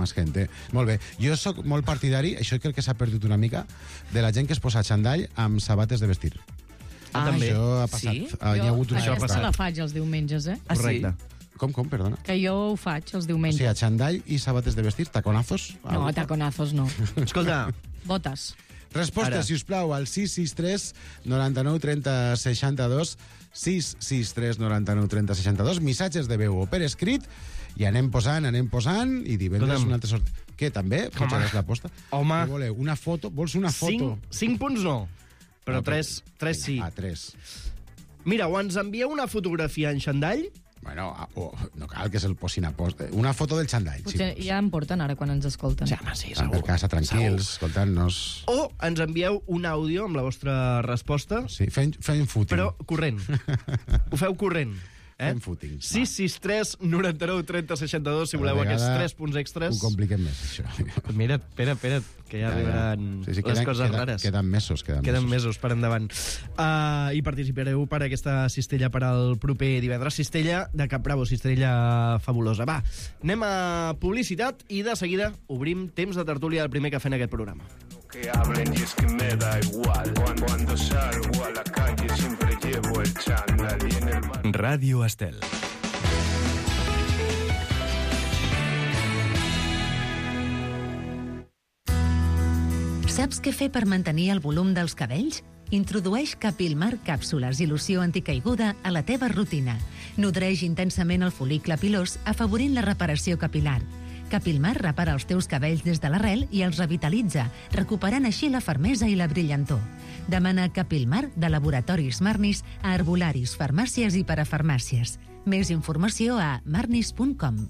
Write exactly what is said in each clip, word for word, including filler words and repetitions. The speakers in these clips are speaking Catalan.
más gente. Molt bé. Jo sóc molt partidari, això crec que s'ha perdut una mica, de la gent que es posa xandall amb sabates de vestir. Ah, també. Això ha passat. Sí? Ah, hi ha hagut una Jo aquesta època. la faig els diumenges, eh? Ah, sí? Correcte. Com, com, perdona? Que jo ho faig els O diumenges. sigui, xandall i sabates de vestir, taconazos? No, taconazos no. Escolta, Botes. Resposta, Ara. si us plau, al sis sis tres noranta-nou trenta seixanta-dos, sis sis tres noranta-nou trenta seixanta-dos, missatges de veu o per escrit, i anem posant, anem posant, i divendres Escolta'm. una altra sort. Què, també? Home. Pujaràs l'aposta? Home. Què voleu? Una foto? Vols una foto? cinc, cinc punts no, però No, tres, tres sí. Ah, tres. Mira, o ens envieu una fotografia en xandall, Bueno, ah, oh, no cal que se'l posin a post. Una foto del xandall, Potser sí. ja en porten ara quan ens escolten. sí, home, sí, Ah, per segur. casa, tranquils, escoltant-nos. O ens envieu un àudio amb la vostra resposta, Sí, fent, fent footing. però corrent. Ho feu corrent. Eh? Fent footing. sis sis tres noranta-nou trenta seixanta-dos, si Cada voleu vegada aquests tres punts extres. Ho compliquem més, això. Mira, espera, espera, que ja, ja arribaran Sí, sí, les queden, coses queden, rares. Queden mesos, queden, Queden mesos. mesos per endavant. Uh, I participareu per aquesta cistella per al proper divendres. Cistella de Cap Bravo, cistella fabulosa. Va, anem a publicitat i de seguida obrim temps de tertúlia del primer cafè en aquest programa. Que hablen y es que me da igual. Cuando, cuando salgo a la calle siempre llevo el chándal y en el mar... Ràdio Estel. Saps què fer per mantenir el volum dels cabells? Introdueix Capilmar càpsules i loció anticaiguda a la teva rutina. Nodreix intensament el fol·licle pilós, afavorint la reparació capilar. Capilmar repara els teus cabells des de l'arrel i els revitalitza, recuperant així la fermesa i la brillantor. Demana Capilmar de Laboratoris Marnis a herbolaris, farmàcies i parafarmàcies. Més informació a marnis punt com.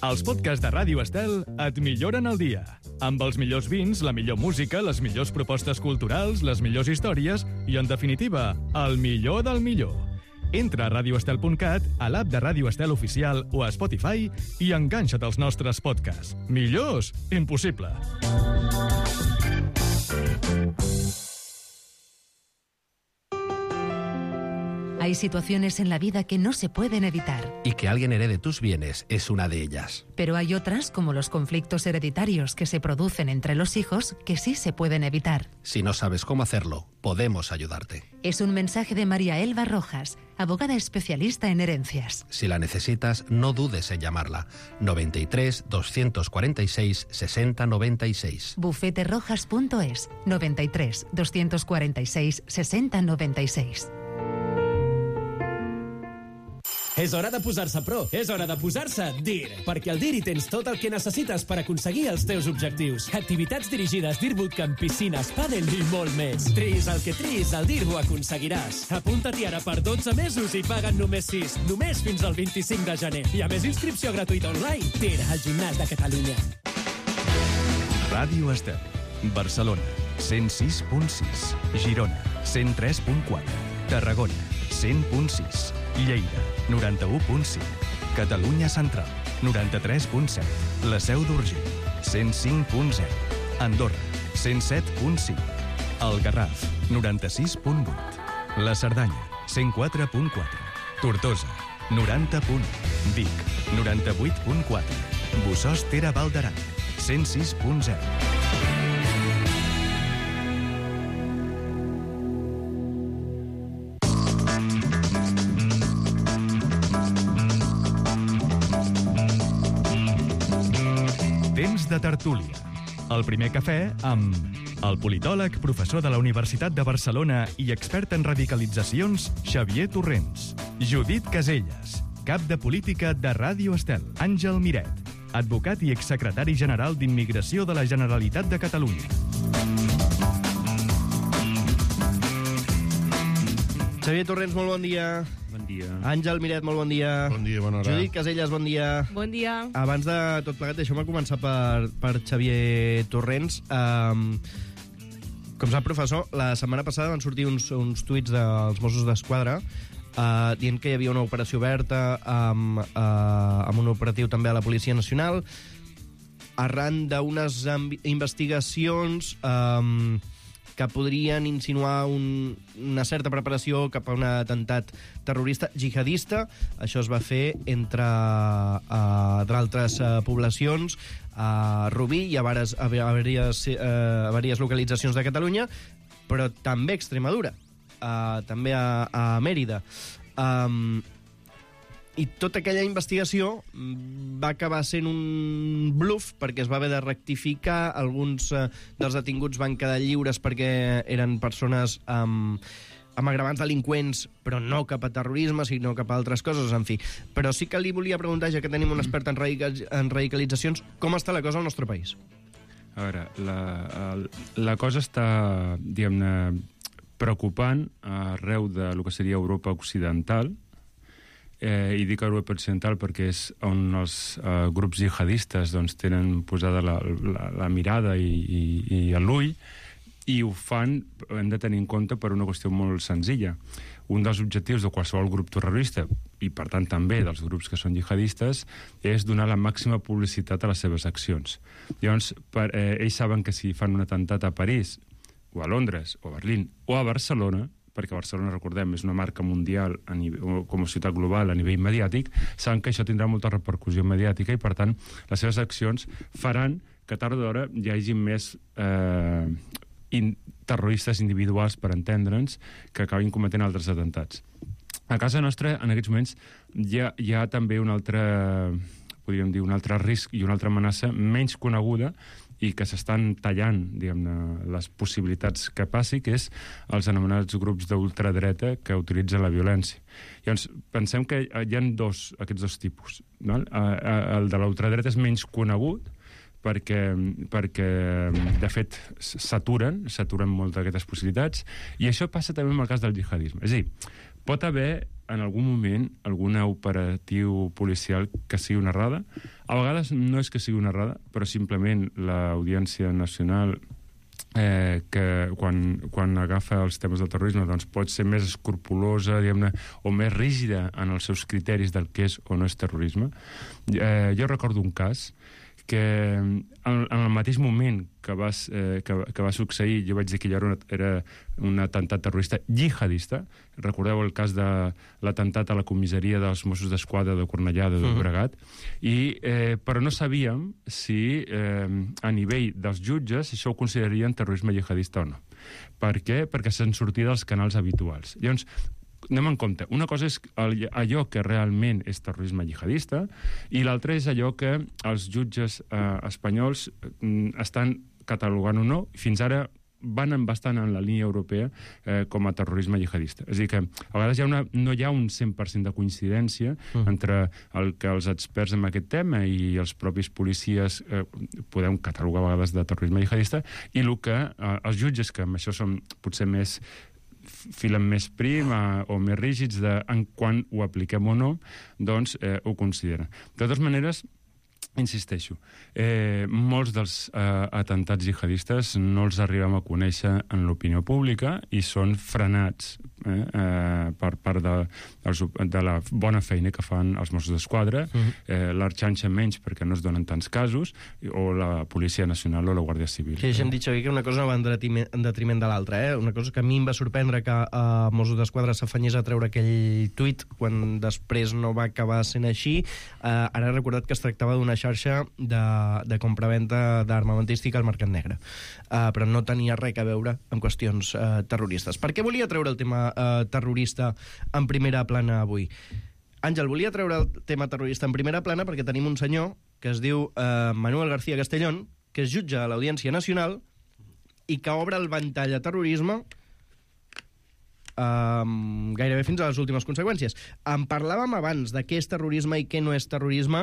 Els podcasts de Ràdio Estel et milloren el dia. Amb els millors vins, la millor música, les millors propostes culturals, les millors històries i, en definitiva, el millor del millor. Entra a radio estel punt cat, a l'app de Ràdio Estel Oficial o a Spotify i enganxa't als nostres podcasts. Millors? Impossible. Hay situaciones en la vida que no se pueden evitar, Y que alguien herede tus bienes es una de ellas. pero hay otras, como los conflictos hereditarios que se producen entre los hijos, que sí se pueden evitar. Si no sabes cómo hacerlo, podemos ayudarte. Es un mensaje de María Elba Rojas, abogada especialista en herencias. Si la necesitas, no dudes en llamarla. noventa y tres, doscientos cuarenta y seis, sesenta noventa y seis. bufete rojas punto es, noventa y tres, doscientos cuarenta y seis, sesenta noventa y seis. És hora de posar-se pro, és hora de posar-se dir, perquè al dir hi tens tot el que necessites per aconseguir els teus objectius. Activitats dirigides, dir bootcamp, piscines, pàdel i molt més. Tris el que tris, al dir ho aconseguiràs. Apunta-t'hi ara per dotze mesos i paguen només sis, només fins al vint-i-cinc de gener. I a més inscripció gratuïta online. Dir, al gimnàs de Catalunya. Ràdio Estel. Barcelona, cent sis punt sis. Girona, cent tres punt quatre. Tarragona, cent punt sis. Lleida, noranta-u punt cinc. Catalunya Central, noranta-tres punt set. La Seu d'Urgell, cent cinc punt zero. Andorra, cent set punt cinc. El Garraf, noranta-sis punt vuit. La Cerdanya, cent quatre punt quatre. Tortosa, noranta punt u. Vic, noranta-vuit punt quatre. Bussós Tera Val d'Aran, cent sis punt zero. Temps de tertúlia. El primer cafè amb el politòleg, professor de la Universitat de Barcelona i expert en radicalitzacions, Xavier Torrents. Judit Caselles, cap de política de Ràdio Estel. Àngel Miret, advocat i exsecretari general d'Immigració de la Generalitat de Catalunya. Xavier Torrents, molt bon dia. Bon dia. Àngel Miret, molt bon dia. Bon dia, bona hora. Judit Caselles, bon dia. Bon dia. Abans de tot plegat, deixeu-me començar per, per Xavier Torrents. Um, com sap, professor, la setmana passada van sortir uns, uns tuits dels Mossos d'Esquadra uh, dient que hi havia una operació oberta amb, uh, amb un operatiu també a la Policia Nacional arran d'unes investigacions um, que podrien insinuar un, una certa preparació cap a un atemptat terrorista jihadista. Això es va fer entre uh, d'altres uh, poblacions, a Rubí i a varies, a, varies, uh, a varies localitzacions de Catalunya, però també a Extremadura, uh, també a, a Mèrida. Um, I tota aquella investigació va acabar sent un bluff perquè es va haver de rectificar. Alguns uh, dels detinguts van quedar lliures perquè eren persones um, amb agravants delinqüents, però no cap a terrorisme, sinó cap a altres coses, en fi. Però sí que li volia preguntar, ja que tenim un expert en, radical, en radicalitzacions, com està la cosa al nostre país? A veure, la, la cosa està, diguem-ne, preocupant arreu de lo que seria Europa Occidental, eh, i dic Europa Occidental perquè és on els eh, grups jihadistes doncs, tenen posada la, la, la mirada i, i, i l'ull, i ho fan, hem de tenir en compte, per una qüestió molt senzilla. Un dels objectius de qualsevol grup terrorista, i per tant també dels grups que són jihadistes, és donar la màxima publicitat a les seves accions. Llavors, per, eh, ells saben que si fan un atemptat a París, o a Londres, o a Berlín, o a Barcelona, perquè Barcelona, recordem, és una marca mundial a nivell, com a ciutat global a nivell mediàtic, saben que això tindrà molta repercussió mediàtica i, per tant, les seves accions faran que tard o d'hora hi hagi més eh, in, terroristes individuals, per entendre'ns, que acabin cometent altres atemptats. A casa nostra, en aquests moments, hi ha, hi ha també un altre, podríem dir, un altre risc i una altra amenaça menys coneguda i que s'estan tallant, diguem-ne, les possibilitats que passi, que és els anomenats grups d'ultradreta que utilitzen la violència. Llavors, pensem que hi ha dos, aquests dos tipus. No? El de l'ultradreta és menys conegut, perquè, perquè de fet, s'aturen, s'aturen molt d'aquestes possibilitats, i això passa també amb el cas del jihadisme. És a dir, pot haver, en algun moment, algun operatiu policial que sigui una errada. A vegades no és que sigui una errada, però simplement l'Audiència Nacional, eh, que quan, quan agafa els temes del terrorisme, doncs pot ser més escrupulosa, diguem-ne, o més rígida en els seus criteris del que és o no és terrorisme. Eh, jo recordo un cas que en, en el mateix moment que va, eh, que, que va succeir, jo vaig dir que allò era, era un atemptat terrorista jihadista. Recordeu el cas de l'atemptat a la comissaria dels Mossos d'Esquadra de Cornellà de Llobregat, uh-huh. I, eh, però no sabíem si eh, a nivell dels jutges si això ho considerarien terrorisme jihadista o no. Per què? Perquè se'n sortia dels canals habituals. Llavors, anem en compte. Una cosa és allò que realment és terrorisme jihadista i l'altra és allò que els jutges eh, espanyols eh, estan catalogant o no. Fins ara van bastant en la línia europea eh, com a terrorisme jihadista. És a dir, que a vegades hi ha una, no hi ha un cent per cent de coincidència mm. entre el que els experts en aquest tema i els propis policies eh, podem catalogar a vegades de terrorisme jihadista i el que eh, els jutges, que amb això són potser més filen més prim eh, o més rígids de, en quan ho apliquem o no, doncs eh, ho consideren. De totes maneres, insisteixo, eh, molts dels eh, atemptats jihadistes no els arribem a conèixer en l'opinió pública i són frenats eh, eh, per part de, de la bona feina que fan els Mossos d'Esquadra, uh-huh. eh, l'Arxanxa menys perquè no es donen tants casos, o la Policia Nacional o la Guàrdia Civil. Sí, ja hem dit, Xavier, que una cosa no va en detriment, en detriment de l'altra. Eh? Una cosa que a mi em va sorprendre que a uh, Mossos d'Esquadra s'afanyés a treure aquell tuit quan després no va acabar sent així. Uh, ara he recordat que es tractava d'una xarxa de, de compraventa d'armamentística al mercat negre. Uh, però no tenia res a veure amb qüestions uh, terroristes. Per què volia treure el tema uh, terrorista en primera plana avui? Àngel, volia treure el tema terrorista en primera plana perquè tenim un senyor que es diu uh, Manuel García Castellón, que es jutja a l'Audiència Nacional i que obre el ventall a terrorisme Um, gairebé fins a les últimes conseqüències. En parlàvem abans de què és terrorisme i què no és terrorisme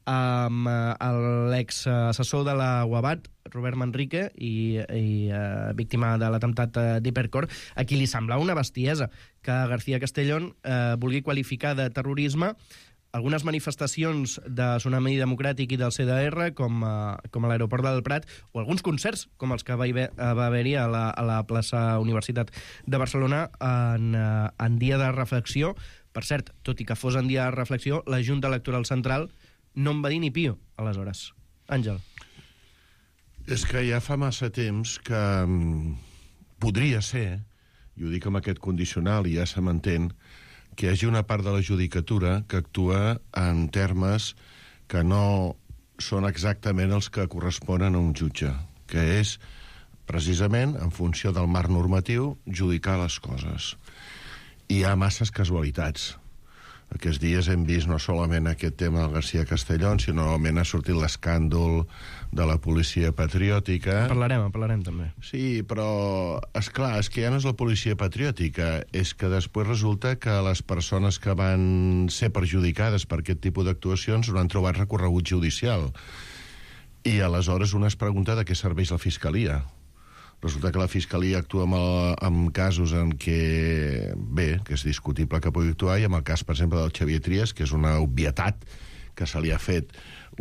amb um, l'exassessor de la UABAT, Robert Manrique, i, i uh, víctima de l'atemptat uh, d'Hipercor, a qui li semblava una bestiesa que García Castellón uh, vulgui qualificar de terrorisme algunes manifestacions de Tsunami Democràtic i del C D R, com, uh, com a l'aeroport del Prat, o alguns concerts, com els que va, haver, va haver-hi a, la, a la plaça Universitat de Barcelona en, uh, en dia de reflexió. Per cert, tot i que fos en dia de reflexió, la Junta Electoral Central no en va dir ni pio, aleshores. Àngel. És que ja fa massa temps que podria ser, i ho dic amb aquest condicional i ja se m'entén, que hi hagi una part de la judicatura que actua en termes que no són exactament els que corresponen a un jutge, que és, precisament, en funció del marc normatiu, judicar les coses. I hi ha masses casualitats. Aquests dies hem vist no solament aquest tema del García Castellón, sinó normalment ha sortit l'escàndol de la policia patriòtica. En parlarem, en parlarem també. Sí, però, és clar, és que ja no és la policia patriòtica, és que després resulta que les persones que van ser perjudicades per aquest tipus d'actuacions no han trobat recorregut judicial. I aleshores una es pregunta de què serveix la Fiscalia. Resulta que la Fiscalia actua amb, el, amb casos en què, bé, que és discutible que pugui actuar, i amb el cas, per exemple, del Xavier Trias, que és una obvietat que se li ha fet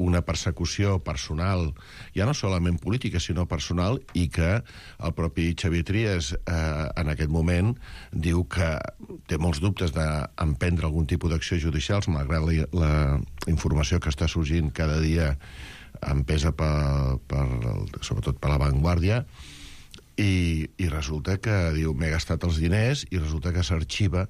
una persecució personal, ja no solament política, sinó personal, i que el propi Xavier Trias, eh, en aquest moment, diu que té molts dubtes d'emprendre algun tipus d'acció judicial, malgrat la, la informació que està sorgint cada dia empesa per, per, sobretot per La Vanguardia, I, i resulta que diu m'he gastat els diners i resulta que s'arxiva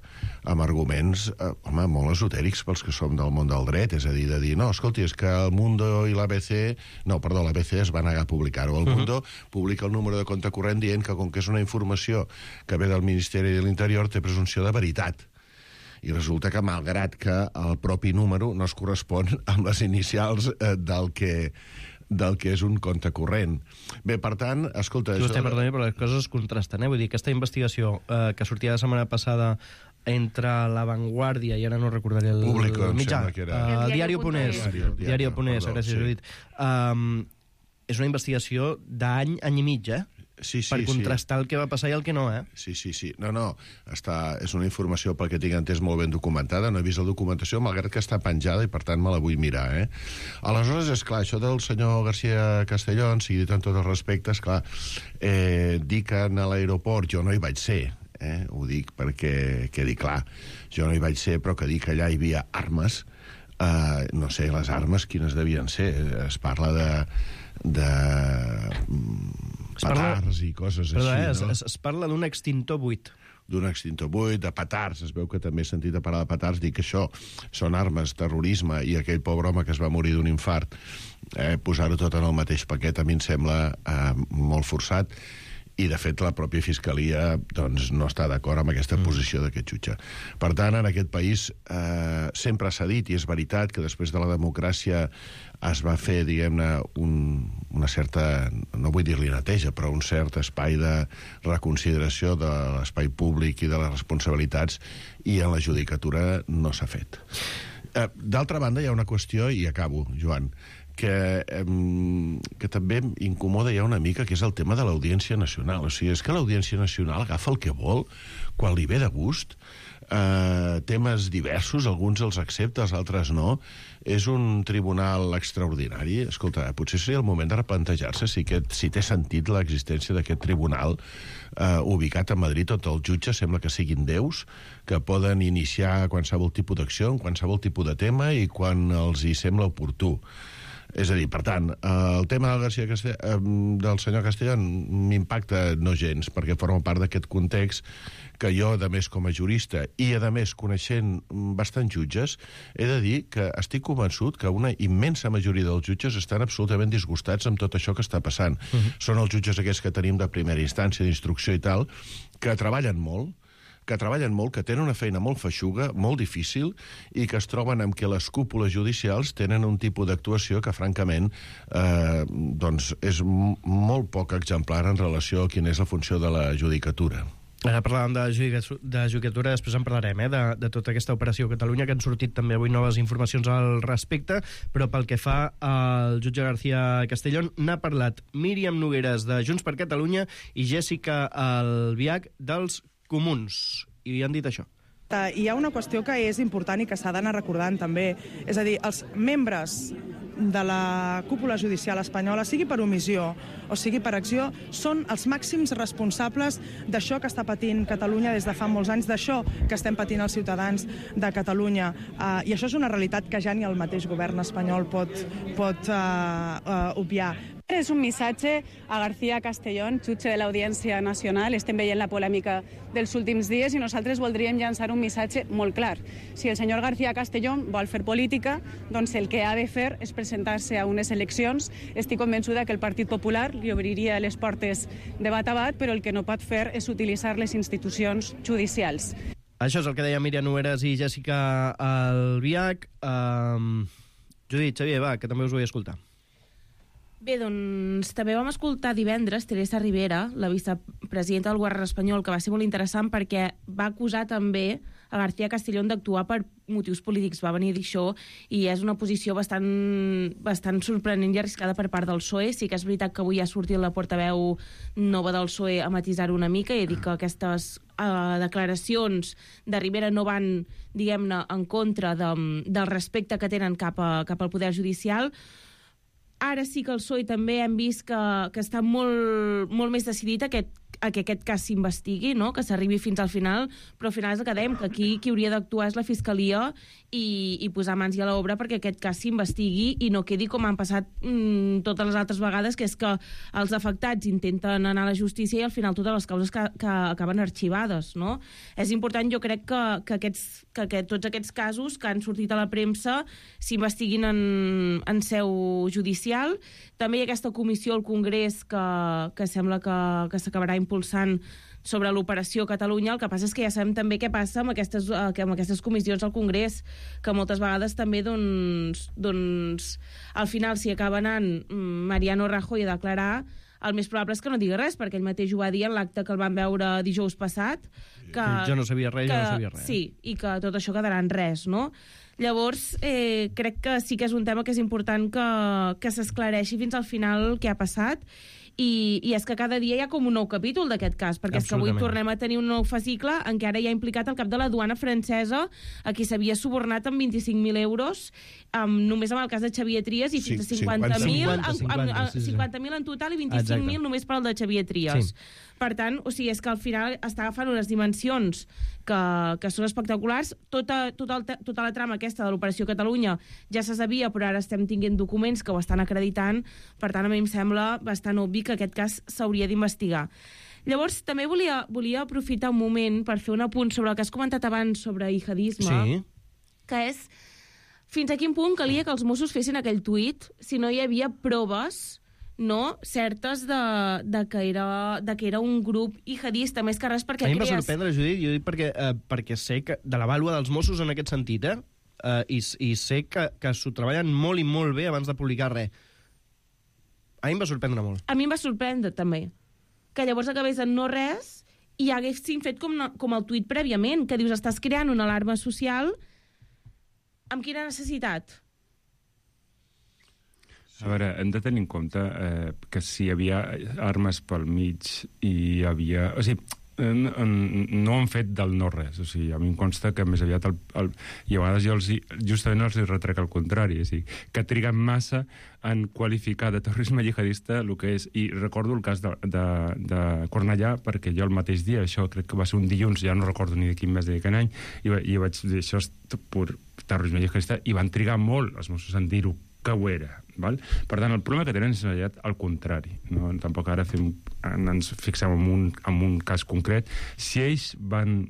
amb arguments eh, home, molt esotèrics pels que som del món del dret, és a dir, de dir, no, escolti, és que el Mundo i l'A B C, no, perdó, l'A B C es va negar a publicar-ho, el Mundo uh-huh. publica el número de compte corrent dient que com que és una informació que ve del Ministeri de l'Interior té presumpció de veritat. I resulta que, malgrat que el propi número no es correspon amb les inicials eh, del que del que és un compte corrent. Bé, per tant, escolta... Sí, vostè, això... perdoni, però les coses es contrasten, eh? Vull dir, aquesta investigació eh, que sortia la setmana passada entre La Vanguardia, i ara no recordaré el, Público, el mitjà, que era... uh, el Diario Punés, Diario Punés, gràcies, sí. Judit. Um, és una investigació d'any, any i mig, eh? Sí, sí, per contrastar sí. el que va passar i el que no, eh? Sí, sí, sí. No, no, està, és una informació, pel que tinc entès, molt ben documentada. No he vist la documentació, malgrat que està penjada, i per tant me la vull mirar, eh? Aleshores, és clar, això del senyor García Castellón, sigui dit amb tot el respecte, és clar, eh, dir que a l'aeroport jo no hi vaig ser, eh? Ho dic perquè quedi clar. Jo no hi vaig ser, però que dir que allà hi havia armes, eh, no sé, les armes quines devien ser. Es parla de... de petards i coses Perdó, així, eh? no? Es, es parla d'un extintor buit. D'un extintor buit, de petards, es veu que també he sentit a parlar de petards, dic que això són armes, terrorisme, i aquell pobre home que es va morir d'un infart, eh, posar-ho tot en el mateix paquet a mi em sembla eh, molt forçat, i de fet la pròpia Fiscalia doncs, no està d'acord amb aquesta mm. posició d'aquest jutge. Per tant, en aquest país eh, sempre s'ha dit, i és veritat, que després de la democràcia es va fer, diguem-ne, un, una certa, no vull dir-li neteja, però un cert espai de reconsideració de l'espai públic i de les responsabilitats, i en la judicatura no s'ha fet. Eh, D'altra banda, hi ha una qüestió, i acabo, Joan, que, eh, que també incomoda ja una mica, que és el tema de l'Audiència Nacional. O sigui, és que l'Audiència Nacional agafa el que vol, quan li ve de gust, eh, temes diversos, alguns els accepta, els altres no. És un tribunal extraordinari. Escolta, potser seria el moment de replantejar-se si, aquest, si té sentit l'existència d'aquest tribunal eh, ubicat a Madrid, on els jutges sembla que siguin déus, que poden iniciar qualsevol tipus d'acció, en qualsevol tipus de tema, i quan els hi sembla oportú. És a dir, per tant, el tema del, García Castell... del senyor Castellón m'impacta no gens, perquè forma part d'aquest context que jo, a més, com a jurista, i, a més, coneixent bastants jutges, he de dir que estic convençut que una immensa majoria dels jutges estan absolutament disgustats amb tot això que està passant. Uh-huh. Són els jutges aquests que tenim de primera instància, d'instrucció i tal, que treballen molt, que treballen molt, que tenen una feina molt feixuga, molt difícil, i que es troben amb que les cúpules judicials tenen un tipus d'actuació que, francament, eh, doncs és m- molt poc exemplar en relació a quina és la funció de la judicatura. Ara parlàvem de, judicatura, de judicatura, després en parlarem, eh, de, de tota aquesta operació a Catalunya, que han sortit també avui noves informacions al respecte, però pel que fa al jutge García Castellón, n'ha parlat Míriam Nogueras, de Junts per Catalunya, i Jessica Albiach, dels Comuns, i han dit això. Hi ha una qüestió que és important i que s'ha d'anar recordant també, és a dir, els membres de la cúpula judicial espanyola, sigui per omissió o sigui per acció, són els màxims responsables d'això que està patint Catalunya des de fa molts anys, d'això que estem patint els ciutadans de Catalunya. Uh, I això és una realitat que ja ni el mateix govern espanyol pot, pot uh, uh, obviar. És un missatge a García Castellón, jutge de l'Audiència Nacional. Estem veient la polèmica dels últims dies i nosaltres voldríem llançar un missatge molt clar. Si el senyor García Castellón vol fer política, doncs el que ha de fer és presentar-se a unes eleccions. Estic convençuda que el Partit Popular li obriria les portes de bat a bat, però el que no pot fer és utilitzar les institucions judicials. Això és el que deia Míriam Nogueras i Jessica Albiach. Um, Judit, Xavier, va, que també us vull escoltar. Bé, doncs també vam escoltar divendres Teresa Rivera, la vicepresidenta del govern espanyol, que va ser molt interessant perquè va acusar també a García Castellón d'actuar per motius polítics. Va venir a dir això i és una posició bastant, bastant sorprenent i arriscada per part del P S O E. Sí que és veritat que avui ha sortit la portaveu nova del P S O E a matisar-ho una mica i a dir que aquestes uh, declaracions de Rivera no van, diguem-ne, en contra de, del respecte que tenen cap, a, cap al poder judicial. Ara sí que el P S O E també hem vist que, que està molt, molt més decidit a, aquest, a que aquest cas s'investigui, no? Que s'arribi fins al final, però al final és el que dèiem, que aquí qui hauria d'actuar és la Fiscalia i, i posar mans a l'obra perquè aquest cas s'investigui i no quedi com han passat mmm, totes les altres vegades, que és que els afectats intenten anar a la justícia i al final totes les causes que, que acaben arxivades, no? És important, jo crec, que, que, aquests, que, que tots aquests casos que han sortit a la premsa s'investiguin en, en seu judicial. També hi ha aquesta comissió al Congrés que, que sembla que, que s'acabarà impulsant sobre l'operació Catalunya. El que passa és que ja sabem també què passa amb aquestes, amb aquestes comissions al Congrés, que moltes vegades també, doncs, doncs al final, si acaba anant Mariano Rajoy a declarar, el més probable és que no digui res, perquè ell mateix ho va dir en l'acte que el van veure dijous passat. Que, jo no sabia res, que, jo no sabia res. Sí, i que tot això quedarà en res, no? Llavors, eh, crec que sí que és un tema que és important que, que s'esclareixi fins al final què ha passat. I, i és que cada dia hi ha com un nou capítol d'aquest cas, perquè és que avui tornem a tenir un nou fascicle en què ara hi ha implicat el cap de la duana francesa, a qui s'havia subornat amb vint-i-cinc mil euros, um, només amb el cas de Xavier Trias, i fins a cinquanta mil cinquanta mil en total i vint-i-cinc mil només per al de Xavier Trias. Sí. Per tant, o sigui, és que al final està agafant unes dimensions que, que són espectaculars. Tota, tota, el, tota la trama aquesta de l'Operació Catalunya ja se sabia, però ara estem tinguent documents que ho estan acreditant. Per tant, a mi em sembla bastant obvi que aquest cas s'hauria d'investigar. Llavors, també volia, volia aprofitar un moment per fer un apunt sobre el que has comentat abans sobre jihadisme, sí. Que és fins a quin punt calia que els Mossos fessin aquell tuit si no hi havia proves, no, certes de, de, que era, de que era un grup jihadista, més que res perquè... A mi em va crees... sorprendre, Judit, jo dic perquè, eh, perquè sé que de la vàlua dels Mossos en aquest sentit, eh, eh i, i sé que, que s'ho treballen molt i molt bé abans de publicar res. A mi em va sorprendre molt. A mi em va sorprendre, també, que llavors acabés en no res i haguessin fet com, com el tuit prèviament, que dius, estàs creant una alarma social amb quina necessitat? A veure, hem de tenir en compte eh, que si hi havia armes pel mig i hi havia... O sigui, no han fet del no-res. O sigui, a mi em consta que més aviat... El, el, I a vegades jo els, justament els retrec al contrari. O sigui, que triguen massa en qualificar de terrorisme jihadista el que és. I recordo el cas de, de, de Cornellà, perquè jo el mateix dia, això crec que va ser un dilluns, ja no recordo ni de quin mes ni de quin any, i, i vaig dir, això és pur terrorisme jihadista, i van trigar molt els Mossos en dir-ho que ho era. Val? Per tant, el problema que tenen és al contrari. No? Tampoc ara fem, ens fixem en un, en un cas concret. Si ells van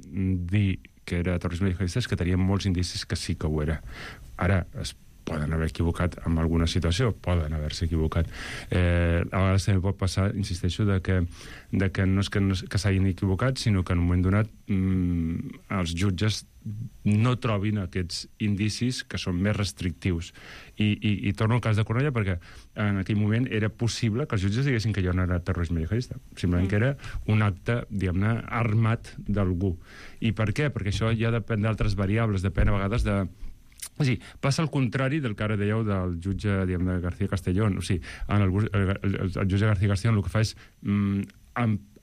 dir que era terrorisme jihadista, és que tenien molts indicis que sí que ho era. Ara, es poden haver equivocat en alguna situació, poden haver-se equivocat. Eh, a vegades també pot passar, insisteixo, de que, de que no és que, no, que s'hagin equivocat, sinó que en un moment donat mmm, els jutges no trobin aquests indicis que són més restrictius. I, i, i torno al cas de Cornellà perquè en aquell moment era possible que els jutges diguessin que allò no era terrorisme jihadista, simplement mm. que era un acte, diguem-ne, armat d'algú. I per què? Perquè això ja depèn d'altres variables, depèn a vegades de... O sigui, passa al contrari del que ara dèieu del jutge, diguem, de García Castellón. O sigui, en el, el, el, el jutge García Castellón el que fa és mm,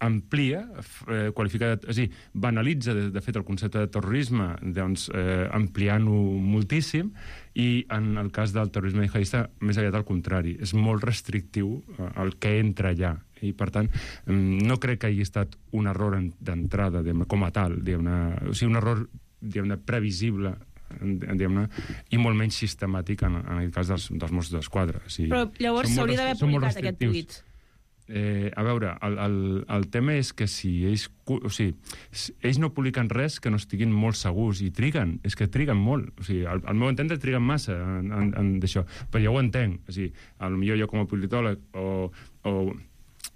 amplia, eh, qualifica, és a dir, banalitza, de, de fet, el concepte de terrorisme, doncs, eh, ampliant-ho moltíssim, i en el cas del terrorisme jihadista, més aviat al contrari. És molt restrictiu eh, el que entra allà. I, per tant, no crec que hagi estat un error d'entrada, com a tal, diguem-ne, o sigui, un error, diguem-ne, previsible diguem-ne, i molt menys sistemàtic en, en el cas dels, dels Mossos d'Esquadra. O sigui, Però llavors s'hauria d'haver publicat aquest tuit. Eh, a veure, el, el, el tema és que si ells, o sigui, ells no publiquen res que no estiguin molt segurs, i triguen, és que triguen molt. O sigui, al, al meu entendre triguen massa en, en, en d'això, però jo ho entenc. O sigui, potser jo com a politòleg o, o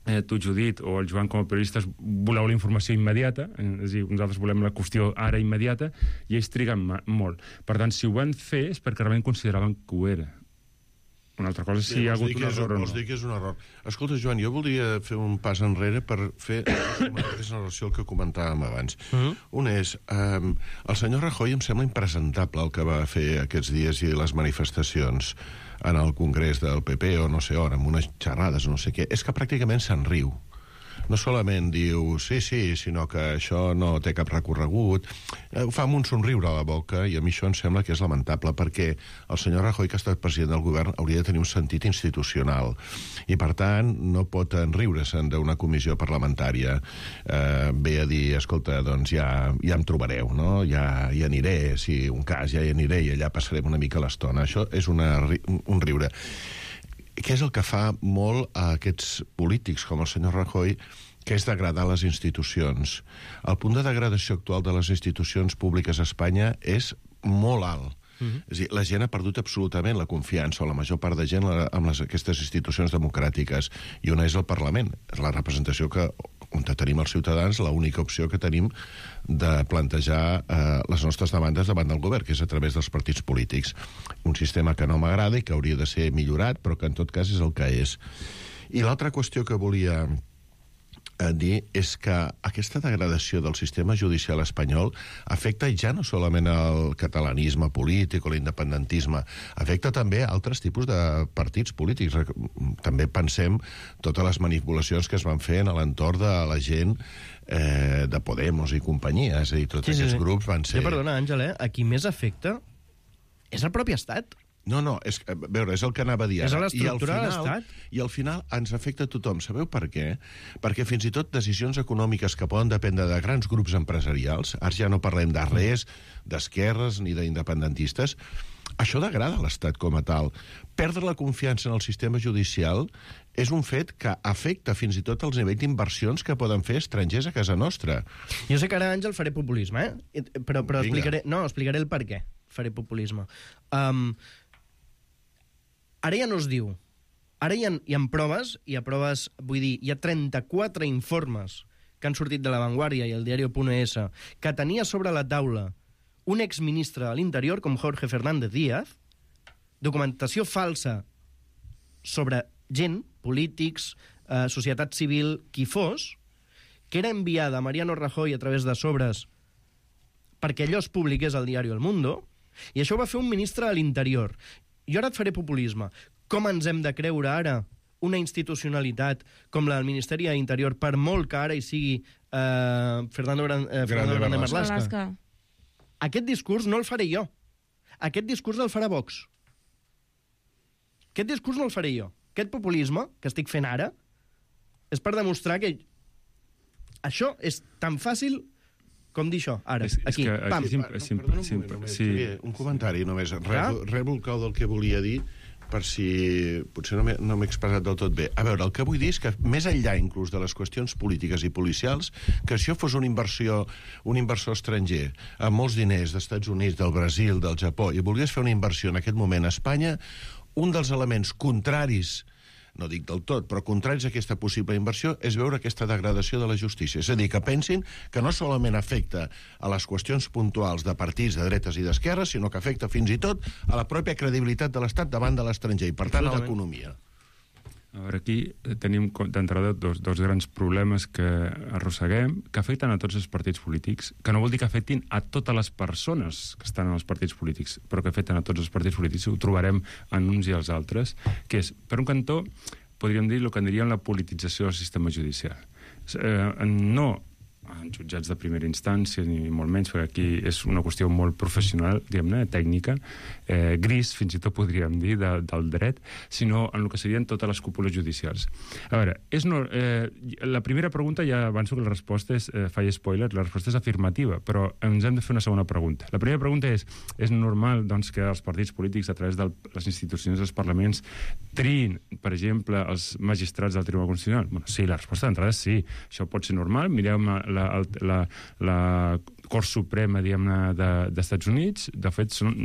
eh, tu, Judit, o el Joan com a periodistes voleu la informació immediata, eh, és a dir, nosaltres volem la qüestió ara immediata, i ells triguen molt. Per tant, si ho van fer és perquè realment consideraven que ho era. Una altra cosa és si sí, hi ha hagut un és, error o no. Vols dir que és un error. Escolta, Joan, jo voldria fer un pas enrere per fer una relació al que comentàvem abans. Uh-huh. Un és, um, el senyor Rajoy em sembla impresentable el que va fer aquests dies i les manifestacions en el Congrés del P P o no sé on, amb unes xerrades o no sé què. És que pràcticament se'n riu. No solament diu sí, sí, sinó que això no té cap recorregut. Ho fa amb un somriure a la boca, i a mi això em sembla que és lamentable, perquè el senyor Rajoy, que ha estat president del govern, hauria de tenir un sentit institucional. I, per tant, no pot enriure-se'n d'una comissió parlamentària. Eh, ve a dir, escolta, doncs ja, ja em trobareu, no? Ja hi aniré, si un cas, ja hi aniré, i allà passarem una mica l'estona. Això és una, un riure. Què és el que fa molt a aquests polítics com el senyor Rajoy, que és degradar les institucions. El punt de degradació actual de les institucions públiques a Espanya és molt alt. Uh-huh. És a dir, la gent ha perdut absolutament la confiança, o la major part de gent, amb les, aquestes institucions democràtiques. I una és el Parlament, és la representació que, on tenim els ciutadans, l'única opció que tenim de plantejar eh, les nostres demandes davant del govern, que és a través dels partits polítics. Un sistema que no m'agrada i que hauria de ser millorat, però que en tot cas és el que és. I l'altra qüestió que volia a dir és que aquesta degradació del sistema judicial espanyol afecta ja no solament el catalanisme polític o l'independentisme, afecta també altres tipus de partits polítics. També pensem totes les manipulacions que es van fer en l'entorn de la gent eh, de Podemos i companyia, és a dir, tots sí, aquests sí, sí. grups van ser... Ja, perdona, Àngel, eh? A qui més afecta és el propi estat. No, no, és, a veure, és el que anava a dir ara. És l'estructura de l'Estat. I al final ens afecta a tothom. Sabeu per què? Perquè fins i tot decisions econòmiques que poden dependre de grans grups empresarials, ara ja no parlem de res, d'esquerres ni d'independentistes, això degrada l'Estat com a tal. Perdre la confiança en el sistema judicial és un fet que afecta fins i tot els nivells d'inversions que poden fer estrangers a casa nostra. Jo sé que ara, Àngel, faré populisme, eh? Però, però explicaré, no, explicaré el per què faré populisme. Um, ara ja no es diu. Ara hi ha, hi ha proves, hi ha proves, vull dir, hi ha trenta-quatre informes que han sortit de La Vanguardia i el diario.es que tenia sobre la taula un exministre de l'Interior com Jorge Fernández Díaz, documentació falsa sobre gent, polítics, eh, societat civil, qui fos, que era enviada a Mariano Rajoy a través de sobres perquè allò es publiqués al diari El Mundo, i això ho va fer un ministre de l'Interior. Jo ara et faré populisme. Com ens hem de creure ara una institucionalitat com la del Ministeri de l'Interior, per molt que ara hi sigui eh, Fernando, Gran, eh, Fernando Grande Marlaska? Aquest discurs no el faré jo. Aquest discurs el farà Vox. Aquest discurs no el faré jo. Aquest populisme que estic fent ara és per demostrar que això és tan fàcil com dir això, ara, és, aquí, és que, pam. Aquí, Perdona un moment, simple, només, sí. Un comentari només, rebo el clau del que volia dir, per si potser no m'he no m'he expressat del tot bé. A veure, el que vull dir és que més enllà inclús de les qüestions polítiques i policials, que si això fos una inversió, un inversor estranger amb molts diners d'Estats Units, del Brasil, del Japó, i volgués fer una inversió en aquest moment a Espanya, un dels elements contraris, no dic del tot, però contraris a aquesta possible inversió, és veure aquesta degradació de la justícia. És a dir, que pensin que no solament afecta a les qüestions puntuals de partits de dretes i d'esquerres, sinó que afecta fins i tot a la pròpia credibilitat de l'Estat davant de l'estranger i, per tant, a l'economia. A veure, aquí tenim d'entrada dos, dos grans problemes que arrosseguem, que afecten a tots els partits polítics, que no vol dir que afectin a totes les persones que estan en els partits polítics, però que afecten a tots els partits polítics, ho trobarem en uns i els altres, que és, per un cantó, podríem dir el que en diríem la politització del sistema judicial. Eh, no en jutjats de primera instància, ni molt menys, perquè aquí és una qüestió molt professional, diguem-ne, tècnica, eh, gris, fins i tot podríem dir, de, del dret, sinó en el que serien totes les cúpules judicials. A veure, és no, eh, la primera pregunta, ja avanço que la resposta és, eh, faig spoiler, la resposta és afirmativa, però ens hem de fer una segona pregunta. La primera pregunta és, és normal doncs, que els partits polítics, a través de les institucions dels parlaments, triïn, per exemple, els magistrats del Tribunal Constitucional? Bueno, sí, la resposta d'entrada és sí. Això pot ser normal. Mireu la, la, la Cort Suprema, diguem-ne, d'Estats Units. De fet, són,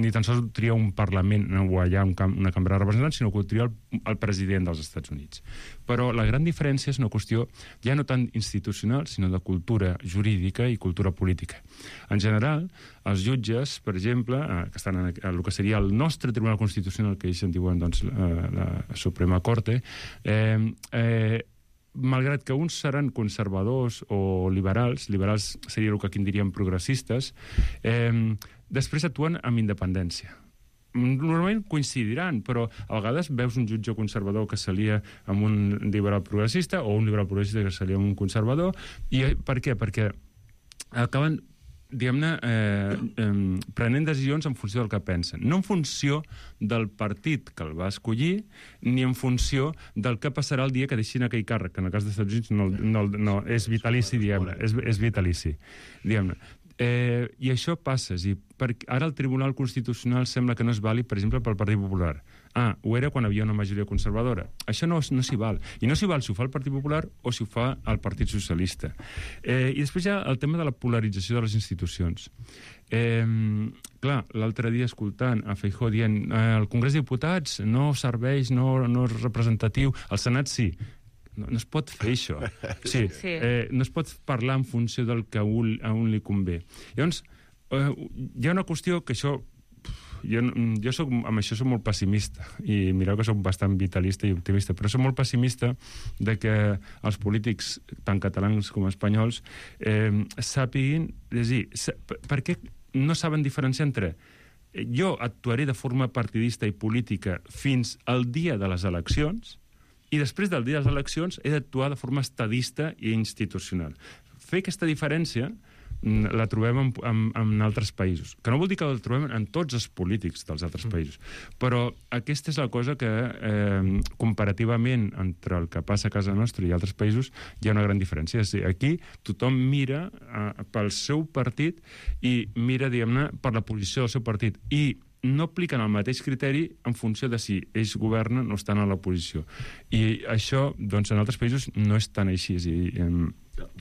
ni tan sols tria un Parlament o allà un, una cambra de representants, sinó que ho tria el, el president dels Estats Units. Però la gran diferència és una qüestió ja no tant institucional, sinó de cultura jurídica i cultura política. En general, els jutges, per exemple, que estan en el que seria el nostre Tribunal Constitucional, que ells en diuen doncs, la, la Suprema Corte, eh, eh, malgrat que uns seran conservadors o liberals, liberals seria el que aquí en diríem progressistes, eh, després actuen amb independència. Normalment coincidiran, però a vegades veus un jutge conservador que s'alia amb un liberal progressista o un liberal progressista que s'alia amb un conservador. I per què? Perquè acaben, diguem-ne, eh, eh, prenent decisions en funció del que pensen. No en funció del partit que el va escollir, ni en funció del que passarà el dia que deixin aquell càrrec, que en el cas dels Estats Units no, no, no, és vitalici, diguem-ne, és, és vitalici, diguem-ne. Eh, I això passa, i per, ara el Tribunal Constitucional sembla que no és vàlid, per exemple, pel Partit Popular. Ah, ho era quan havia una majoria conservadora. Això no, no s'hi val. I no s'hi val si ho fa el Partit Popular o si ho fa el Partit Socialista. Eh, I després hi ha el tema de la polarització de les institucions. Eh, clar, l'altre dia escoltant a Feijóo dient eh, el Congrés de Diputats no serveix, no, no és representatiu, el Senat sí. No, no es pot fer això. Sí, sí. Eh, no es pot parlar en funció del que a un, a un li convé. Llavors, eh, hi ha una qüestió que això... Jo, jo soc, amb això soc molt pessimista, i mireu que soc bastant vitalista i optimista, però soc molt pessimista de que els polítics, tant catalans com espanyols, eh, sàpiguin... És a dir, per què no saben diferenciar entre jo actuaré de forma partidista i política fins al dia de les eleccions i després del dia de les eleccions he d'actuar de forma estadista i institucional. Fer aquesta diferència la trobem en, en, en altres països. Que no vol dir que la trobem en tots els polítics dels altres països. Però aquesta és la cosa que, eh, comparativament entre el que passa a casa nostra i altres països, hi ha una gran diferència. És a dir, aquí tothom mira eh, pel seu partit i mira, diguem-ne, per la posició del seu partit. I no apliquen el mateix criteri en funció de si ells governen o estan a l'oposició. I això, doncs, en altres països no és tan així. És a dir, eh,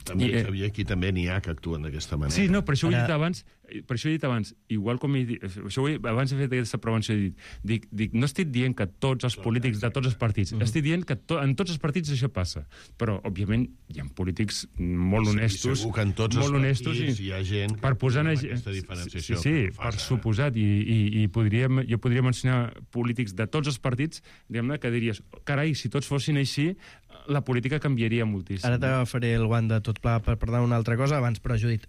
També, I, Xavier, aquí també n'hi ha que actuen d'aquesta manera. Sí, no, per això ho he dit abans, per això he dit abans, igual com he dit, això he, abans he fet aquesta prevenció, he dit, dic, dic, no estic dient que tots els polítics de tots els partits, mm. estic dient que to, en tots els partits això passa, però, òbviament, hi ha polítics molt honestos, sí, segur que en tots els honestos, partits hi ha gent per posar en aquesta diferenciació. Sí, sí, per suposat, i, i, i podríem, jo podria mencionar polítics de tots els partits, diguem-ne, que diries, carai, si tots fossin així, la política canviaria moltíssim. Ara t'agafaré el guant de tot pla per parlar d'una altra cosa, abans, però, Judit.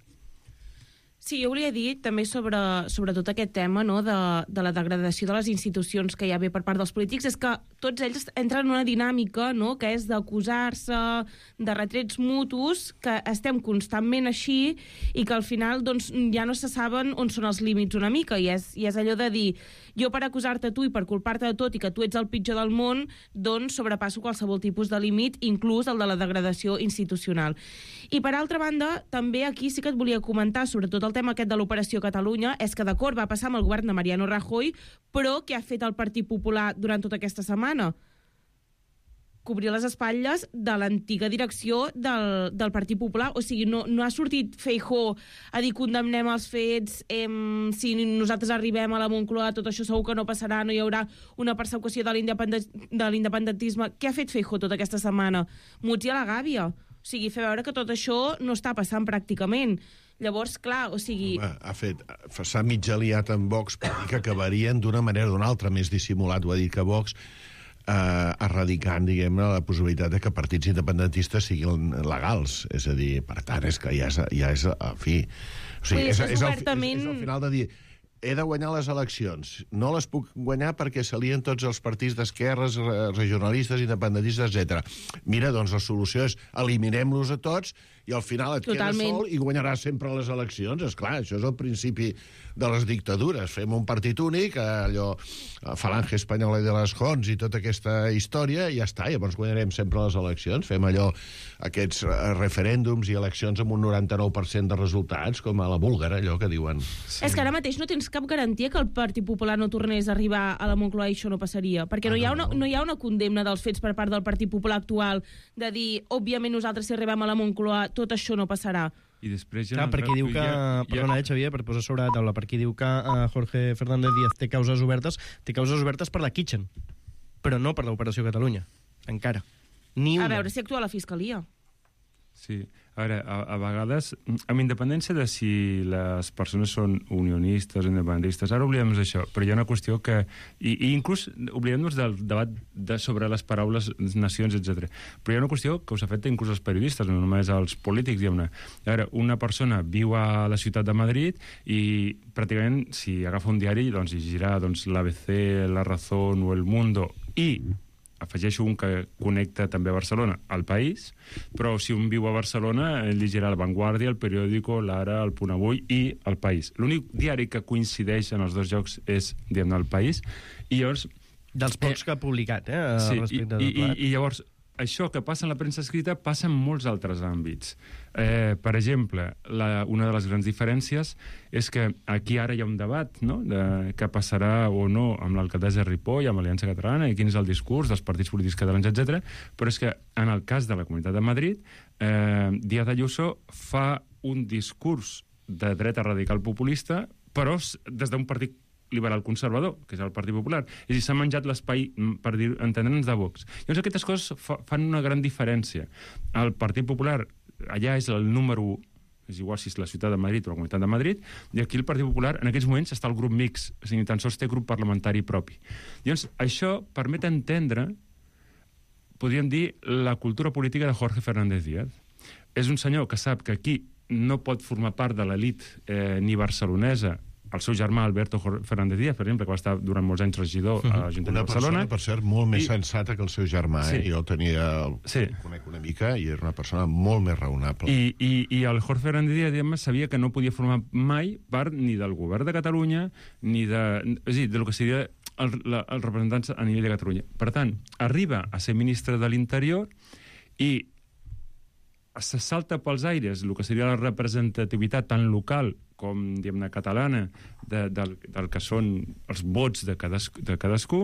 Sí, jo volia dir també sobre, sobre tot aquest tema, no, de, de la degradació de les institucions que hi ha bé per part dels polítics, és que tots ells entren en una dinàmica, no?, que és d'acusar-se, de retrets mutus, que estem constantment així i que al final doncs, ja no se saben on són els límits una mica, i és, i és allò de dir jo per acusar-te a tu i per culpar-te de tot i que tu ets el pitjor del món, doncs sobrepasso qualsevol tipus de límit, inclús el de la degradació institucional. I per altra banda, també aquí sí que et volia comentar, sobretot el tema aquest de l'Operació Catalunya, és que d'acord va passar amb el govern de Mariano Rajoy, però què ha fet el Partit Popular durant tota aquesta setmana? Cobrir les espatlles de l'antiga direcció del, del Partit Popular. O sigui, no, no ha sortit Feijóo a dir condemnem els fets, eh, si nosaltres arribem a la Moncloa tot això segur que no passarà, no hi haurà una persecució de l'independentisme. Què ha fet Feijóo tota aquesta setmana? Muts i a la gàbia. O sigui, fer veure que tot això no està passant pràcticament. Llavors, clar, o sigui... Home, ha fet... S'ha mig aliat amb Vox per dir que acabarien d'una manera o d'una altra, més dissimulat, ho ha dit que Vox, eh, erradicant, diguem-ne, la possibilitat de que partits independentistes siguin legals. És a dir, per tant, és que ja és, ja és a fi... O sigui, és, és, és, obertament... és, és el final de dir... He de guanyar les eleccions. No les puc guanyar perquè s'alien tots els partits d'esquerres, regionalistes, independentistes, etcètera. Mira, doncs la solució és eliminem-los a tots i al final et Totalment. quedes sol i guanyaràs sempre les eleccions. És clar, això és el principi de les dictadures. Fem un partit únic, allò, Falange Espanyola de les Jons i tota aquesta història, i ja està, llavors guanyarem sempre les eleccions. Fem allò, aquests referèndums i eleccions amb un noranta-nou per cent de resultats, com a la búlgara, allò que diuen. Sí. És que ara mateix no tens cap garantia que el Partit Popular no tornés a arribar a la Moncloa i això no passaria, perquè no, ah, no, hi ha una, no hi ha una condemna dels fets per part del Partit Popular actual de dir, òbviament nosaltres si arribem a la Moncloa tot això no passarà. I després... Clar, perquè diu que... Ja, perdona, eh, Xavier, per posar sobre la taula, perquè diu que uh, Jorge Fernández Díaz té causes obertes, té causes obertes per la Kitchen, però no per l'Operació Catalunya, encara. Ni una. A veure si actua la Fiscalia. Sí, a veure, a, a vegades, amb independència de si les persones són unionistes o independentistes, ara oblidem d'això, però hi ha una qüestió que... I, i inclús oblidem-nos del debat de, sobre les paraules nacions, etcètera. Però hi ha una qüestió que us afecta inclús als periodistes, no només als polítics. Hi ha una, a veure, una persona viu a la ciutat de Madrid i pràcticament, si agafa un diari, doncs llegirà doncs, l'A B C, La Razón o El Mundo, i afegeixo un que connecta també a Barcelona, al País, però si un viu a Barcelona, ell llegirà La Vanguardia, El Periódico, l'Ara, El Punt Avui i El País. L'únic diari que coincideix en els dos llocs és, diguem-ne, El País, i llavors... Dels pocs eh, que ha publicat, eh, sí, respecte i, de plat. I, i llavors, això que passa en la premsa escrita passa en molts altres àmbits. Eh, per exemple, la, una de les grans diferències és que aquí ara hi ha un debat, no?, de què passarà o no amb l'alcaldessa Ripoll, amb l'Aliança Catalana, i quin és el discurs dels partits polítics catalans, etcètera. Però és que en el cas de la Comunitat de Madrid, eh, Díaz Ayuso fa un discurs de dreta radical populista, però des d'un partit liberal conservador, que és el Partit Popular. És a dir, s'ha menjat l'espai, per dir, entendre'ns, de Vox. Llavors aquestes coses fa, fan una gran diferència. El Partit Popular allà és el número u, és igual si és la ciutat de Madrid o la Comunitat de Madrid, i aquí el Partit Popular en aquests moments està el grup mix, és a dir, ni tan sols té grup parlamentari propi. Llavors això permet entendre, podríem dir, la cultura política de Jorge Fernández Díaz. És un senyor que sap que aquí no pot formar part de l'elit eh, ni barcelonesa. El seu germà, Alberto Fernández Díaz, per exemple, que va estar durant molts anys regidor a l'Ajuntament de Barcelona. Una persona, per cert, molt més I... sensata que el seu germà. Sí. Eh? Jo el tenia, el sí. conec una mica, i era una persona molt més raonable. I, i, i el Jorge Fernández Díaz, diguem, sabia que no podia formar mai part ni del govern de Catalunya, ni de... És a dir, del que seria el, la, els representants a nivell de Catalunya. Per tant, arriba a ser ministre de l'Interior i se salta pels aires el que seria la representativitat tant local com, diguem-ne, catalana de, del, del que són els vots de, cadascú, de cadascú,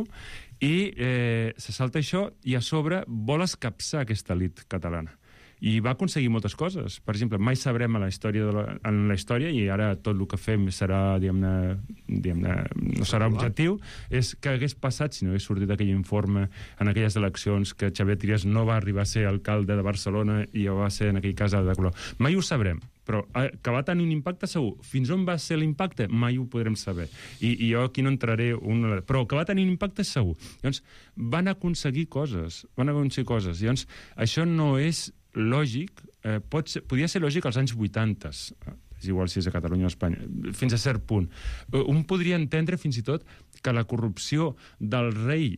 i eh, se salta això i a sobre vol escapçar aquesta elit catalana. I va aconseguir moltes coses. Per exemple, mai sabrem a la història de la, en la història, i ara tot el que fem serà, diguem-ne, diguem-ne, no serà objectiu, és que hagués passat si no hagués sortit aquell informe en aquelles eleccions que Xavier Trias no va arribar a ser alcalde de Barcelona i va ser, en aquell cas, de color. Mai ho sabrem, però que va tenir un impacte segur. Fins on va ser l'impacte? Mai ho podrem saber. I, i jo aquí no entraré... Una... Però que va tenir un impacte segur. Llavors, van aconseguir coses. Van aconseguir coses. Llavors, això no és lògic, eh, pot ser, podia ser lògic als anys vuitanta, és igual si és a Catalunya o a Espanya, fins a cert punt. Un podria entendre fins i tot que la corrupció del rei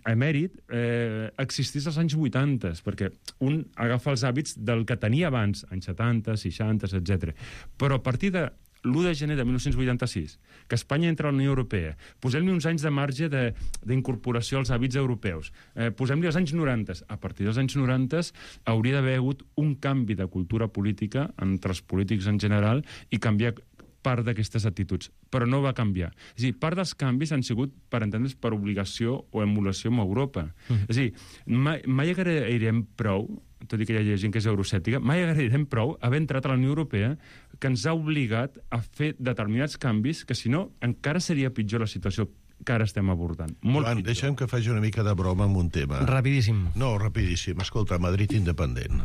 emèrit eh, existís als anys vuitanta, perquè un agafa els hàbits del que tenia abans, anys setanta, seixanta, etcètera. Però a partir de l'u de gener de mil nou-cents vuitanta-sis, que Espanya entra a la Unió Europea, posem-li uns anys de marge d'incorporació als hàbits europeus, eh, posem-li els anys noranta. A partir dels anys noranta hauria d'haver hagut un canvi de cultura política entre els polítics en general i canviar part d'aquestes actituds, però no va canviar. És a dir, part dels canvis han sigut, per entendre's, per obligació o emulació amb Europa. Mm. És a dir, mai, mai agrairem prou, tot i que hi ha gent que és eurocèptica, mai agrairem prou haver entrat a la Unió Europea que ens ha obligat a fer determinats canvis que, si no, encara seria pitjor la situació que ara estem abordant. Molt Joan, pitjor. deixa'm que faci una mica de broma amb un tema. Rapidíssim. No, rapidíssim. Escolta, Madrid independent.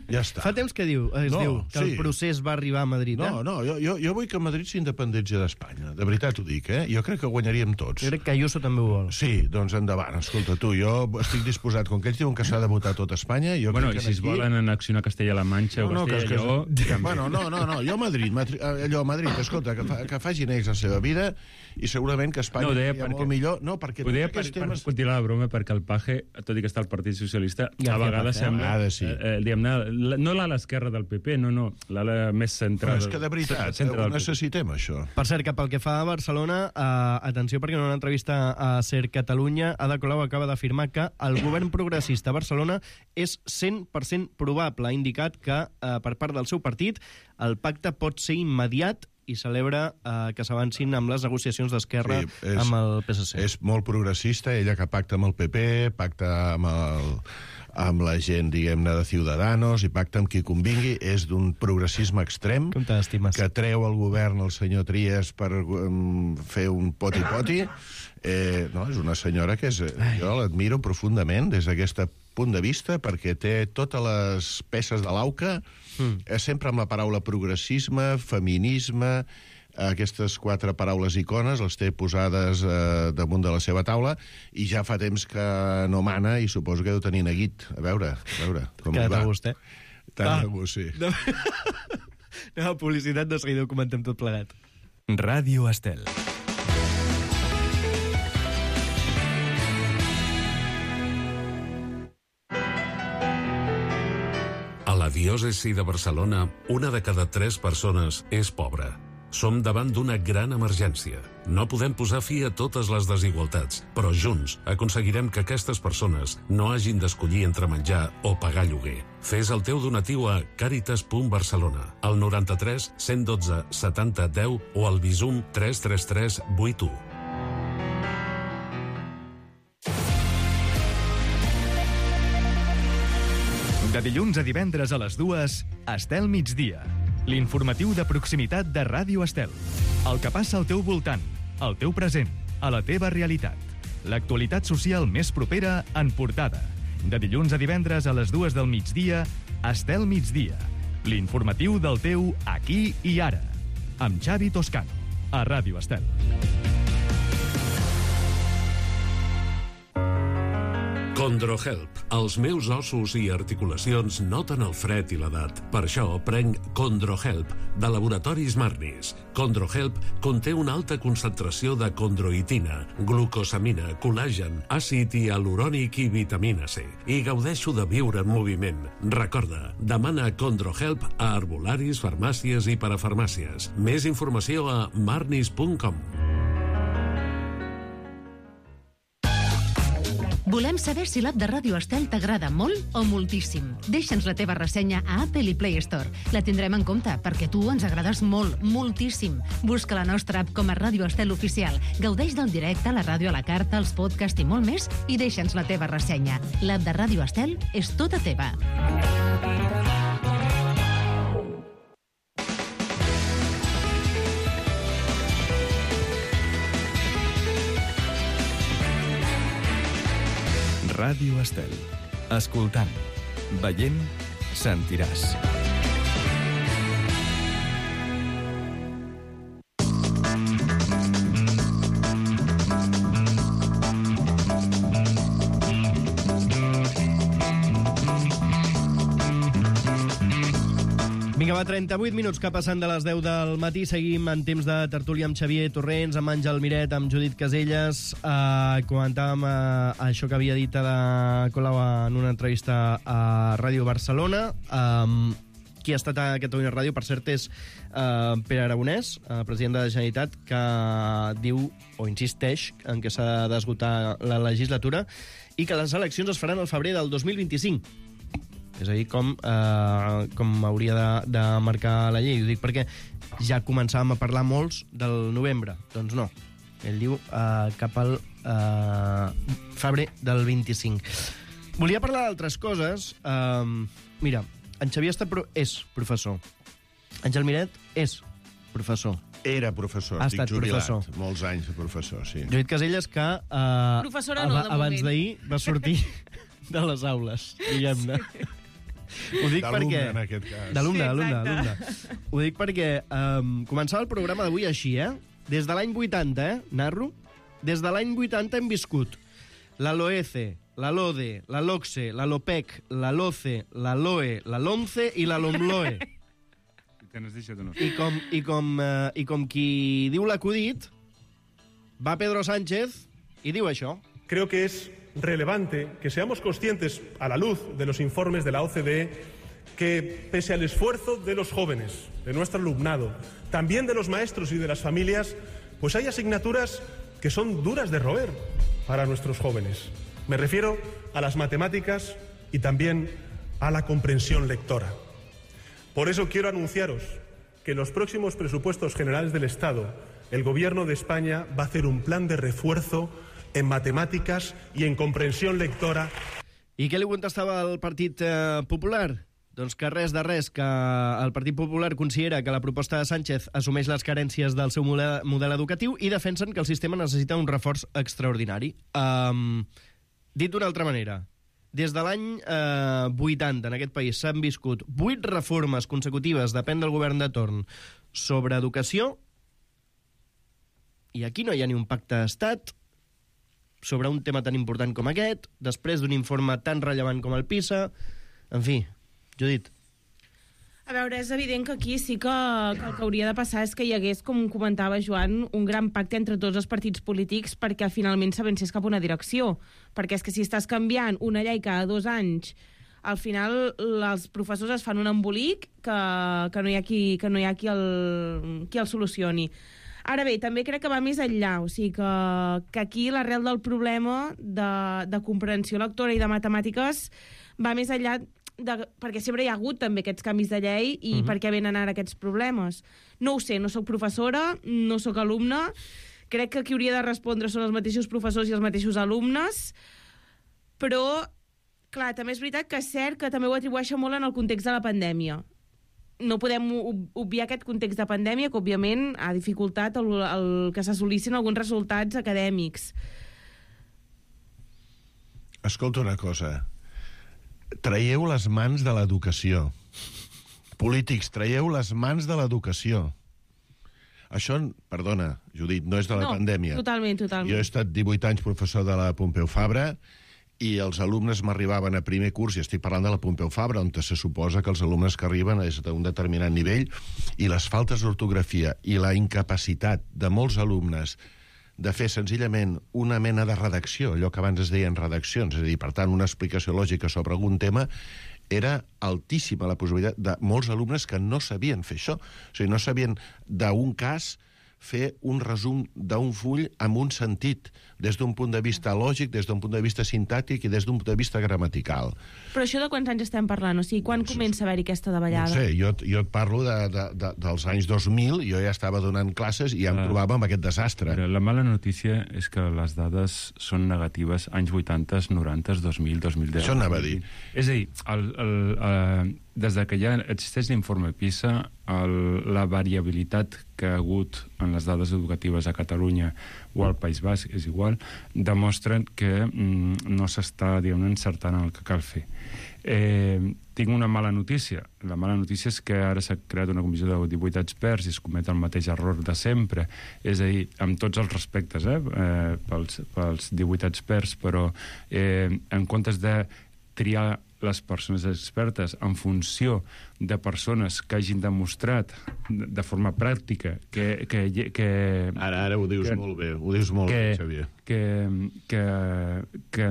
Ja està. Fa temps que diu, es no, diu que sí. el procés va arribar a Madrid, eh? No, no, jo, jo, jo vull que Madrid s'independentsi d'Espanya. De veritat ho dic, eh? Jo crec que guanyaríem tots. Jo crec que Ayuso també ho vol. Sí, doncs endavant. Escolta, tu, jo estic disposat, com que ells diuen que s'ha de votar tot Espanya... Jo bueno, crec i que si es aquí... volen annexionar Castella-La Manxa no, o Castella no, i Lleó... Bueno, no, no, no, jo a Madrid, Madrid allò a Madrid, escolta, que, fa, que facin ells la seva vida i segurament que Espanya no, hi ha molt millor... No, perquè ho deia per, temes... per continuar la broma, perquè el Paje, tot i que està al Partit Socialista, ja, a vegades ja, sembla Ha de ser. Eh, diguem-ne, la- no l'ala esquerra del P P, no, no, l'ala més central. Però és que de veritat, centre ho del P P. necessitem, això. Per cert, que pel que fa a Barcelona, eh, atenció, perquè en una entrevista a Ser Catalunya, Ada Colau acaba d'afirmar que el govern progressista a Barcelona és cent per cent probable. Ha indicat que, eh, per part del seu partit, el pacte pot ser immediat i celebra eh, que s'avancin amb les negociacions d'Esquerra Sí, és- amb el P S C. És molt progressista, ella que pacta amb el P P, pacta amb, el, amb la gent, diguem-ne, de Ciudadanos i pacta amb qui convingui, és d'un progressisme extrem Com t'estimes? que treu el govern el senyor Trias per um, fer un poti-poti. Eh, no, és una senyora que és, jo l'admiro profundament des d'aquest punt de vista perquè té totes les peces de l'auca, mm. eh, sempre amb la paraula progressisme, feminisme, aquestes quatre paraules icones les té posades eh, damunt de la seva taula i ja fa temps que no mana i suposo que deu tenir neguit. A veure, a veure com li Quedat va. a gust, eh? Tant Ah. de gust, sí. No. Anem a publicitat, de seguida ho comentem tot plegat. Ràdio Estel. A la diòcesi de Barcelona, una de cada tres persones és pobra. Som davant d'una gran emergència. No podem posar fi a totes les desigualtats, però junts aconseguirem que aquestes persones no hagin d'escollir entre menjar o pagar lloguer. Fes el teu donatiu a caritas punt barcelona, al noranta-tres cent dotze setanta deu o al Bizum tres tres tres vuit u. De dilluns a divendres a les dues, Estel migdia. L'informatiu de proximitat de Ràdio Estel. El que passa al teu voltant, al teu present, a la teva realitat. L'actualitat social més propera en portada. De dilluns a divendres a les dues del migdia, Estel migdia. L'informatiu del teu aquí i ara. Amb Xavi Toscano, a Ràdio Estel. Condrohelp. Els meus ossos i articulacions noten el fred i l'edat. Per això prenc Condrohelp, de Laboratoris Marnis. Condrohelp conté una alta concentració de condroitina, glucosamina, col·làgen, àcid hialurònic i vitamina C. I gaudeixo de viure en moviment. Recorda, demana Condrohelp a herbolaris, farmàcies i parafarmàcies. Més informació a marnis punt com. Volem saber si l'app de Ràdio Estel t'agrada molt o moltíssim. Deixa'ns la teva ressenya a Apple i Play Store. La tindrem en compte, perquè tu ens agrades molt, moltíssim. Busca la nostra app com a Ràdio Estel Oficial. Gaudeix del directe, la ràdio a la carta, els podcasts i molt més, i deixa'ns la teva ressenya. L'app de Ràdio Estel és tota teva. Ràdio Estel. Escoltant, veient, sentiràs. Vinga, va, trenta-vuit minuts que passen de les deu del matí. Seguim en temps de tertúlia amb Xavier Torrents, amb Àngel Miret, amb Judit Caselles. Uh, comentàvem uh, això que havia dit Ada Colau en una entrevista a Ràdio Barcelona. Um, qui ha estat a Catalunya Ràdio, per cert, és uh, Pere Aragonès, uh, president de la Generalitat, que diu, o insisteix, en què s'ha d'esgotar la legislatura i que les eleccions es faran al febrer del dos mil vint-i-cinc. És a dir, com, eh, com hauria de, de marcar la llei. Ho dic perquè ja començàvem a parlar molts del novembre. Doncs no. Ell diu eh, cap al eh, febrer del vint-i-cinc. Volia parlar d'altres coses. Eh, mira, en Xavier està pro és professor. Àngel Miret és professor. Era professor, Ha estic estat jubilat. professor. Molts anys de professor, sí. Judit Caselles, que eh, Professora no, de abans moment. d'ahir va sortir de les aules, diguem-ne. Ho dic D'alumne, perquè... en aquest cas. D'alumne, Sí, d'alumne, exacte. d'alumne. Ho dic perquè um, començava el programa d'avui així, eh? Des de l'any vuitanta, eh, narro? Des de l'any vuitanta hem viscut la LOECE, la LODE, la LOCSE, la LOPEC, la LOCE, la LOE, la LOMCE i la LOMLOE. Te n'has deixat una. I com, i, com, uh, I com qui diu l'acudit, va Pedro Sánchez i diu això. Creo que es relevante que seamos conscientes, a la luz de los informes de la O C D E, que pese al esfuerzo de los jóvenes, de nuestro alumnado, también de los maestros y de las familias, pues hay asignaturas que son duras de roer para nuestros jóvenes. Me refiero a las matemáticas y también a la comprensión lectora. Por eso quiero anunciaros que en los próximos presupuestos generales del Estado el Gobierno de España va a hacer un plan de refuerzo en matemáticas i en comprensió lectora. I què li contestava el Partit eh, Popular? Doncs que res de res, que el Partit Popular considera que la proposta de Sánchez assumeix les carències del seu model, model educatiu i defensen que el sistema necessita un reforç extraordinari. Um, dit d'una altra manera, des de l'any eh, vuitanta en aquest país s'han viscut vuit reformes consecutives, depèn del govern de torn, sobre educació, i aquí no hi ha ni un pacte d'estat sobre un tema tan important com aquest, després d'un informe tan rellevant com el PISA. En fi, Judit. A veure, és evident que aquí sí que, que el que hauria de passar és que hi hagués, com comentava Joan, un gran pacte entre tots els partits polítics perquè finalment s'avancés cap a una direcció. Perquè és que si estàs canviant una llei cada dos anys, al final els professors es fan un embolic que, que no hi ha qui, que no hi ha qui, el, qui el solucioni. Ara bé, també crec que va més enllà, o sigui que, que aquí l'arrel del problema de, de comprensió lectora i de matemàtiques va més enllà, de, perquè sempre hi ha hagut també aquests canvis de llei i uh-huh. per què venen ara aquests problemes. No ho sé, no sóc professora, no sóc alumne, crec que qui hauria de respondre són els mateixos professors i els mateixos alumnes, però, clar, també és veritat que és cert que també ho atribueixen molt en el context de la pandèmia. No podem obviar aquest context de pandèmia que, òbviament, ha dificultat el, el que s'assolissin alguns resultats acadèmics. Escolta una cosa. Traieu les mans de l'educació. Polítics, traieu les mans de l'educació. Això, perdona, Judit, no és de la no, pandèmia. Totalment, totalment. Jo he estat divuit anys professor de la Pompeu Fabra i els alumnes m'arribaven a primer curs, i estic parlant de la Pompeu Fabra, on se suposa que els alumnes que arriben és d'un determinat nivell, i les faltes d'ortografia i la incapacitat de molts alumnes de fer senzillament una mena de redacció, allò que abans es deien redaccions, és a dir, per tant, una explicació lògica sobre algun tema, era altíssima la possibilitat de molts alumnes que no sabien fer això. O sigui, no sabien d'un cas fer un resum d'un full amb un sentit, des d'un punt de vista lògic, des d'un punt de vista sintàctic i des d'un punt de vista gramatical. Però això de quants anys estem parlant? O sigui, quan no, comença a haver-hi aquesta davallada? No sé, jo, jo et parlo de, de, de, dels anys dos mil, jo ja estava donant classes i ja em trobava amb aquest desastre. La mala notícia és que les dades són negatives anys vuitanta, noranta, dos mil, dos mil deu. Això anava a dir. És a dir, el, el, el, des de que ja existeix l'informe PISA, el, la variabilitat que ha hagut en les dades educatives a Catalunya o al País Basc, és igual, demostren que mm, no s'està, diguem-ne, encertant el que cal fer. Eh, tinc una mala notícia. La mala notícia és que ara s'ha creat una comissió de divuit experts i es comet el mateix error de sempre. És a dir, amb tots els respectes eh, eh, pels, pels divuit experts, però eh, en comptes de triar les persones expertes en funció de persones que hagin demostrat de forma pràctica que... que, que ara, ara ho dius que, molt bé, ho dius molt que, bé, Xavier. Que, que, que,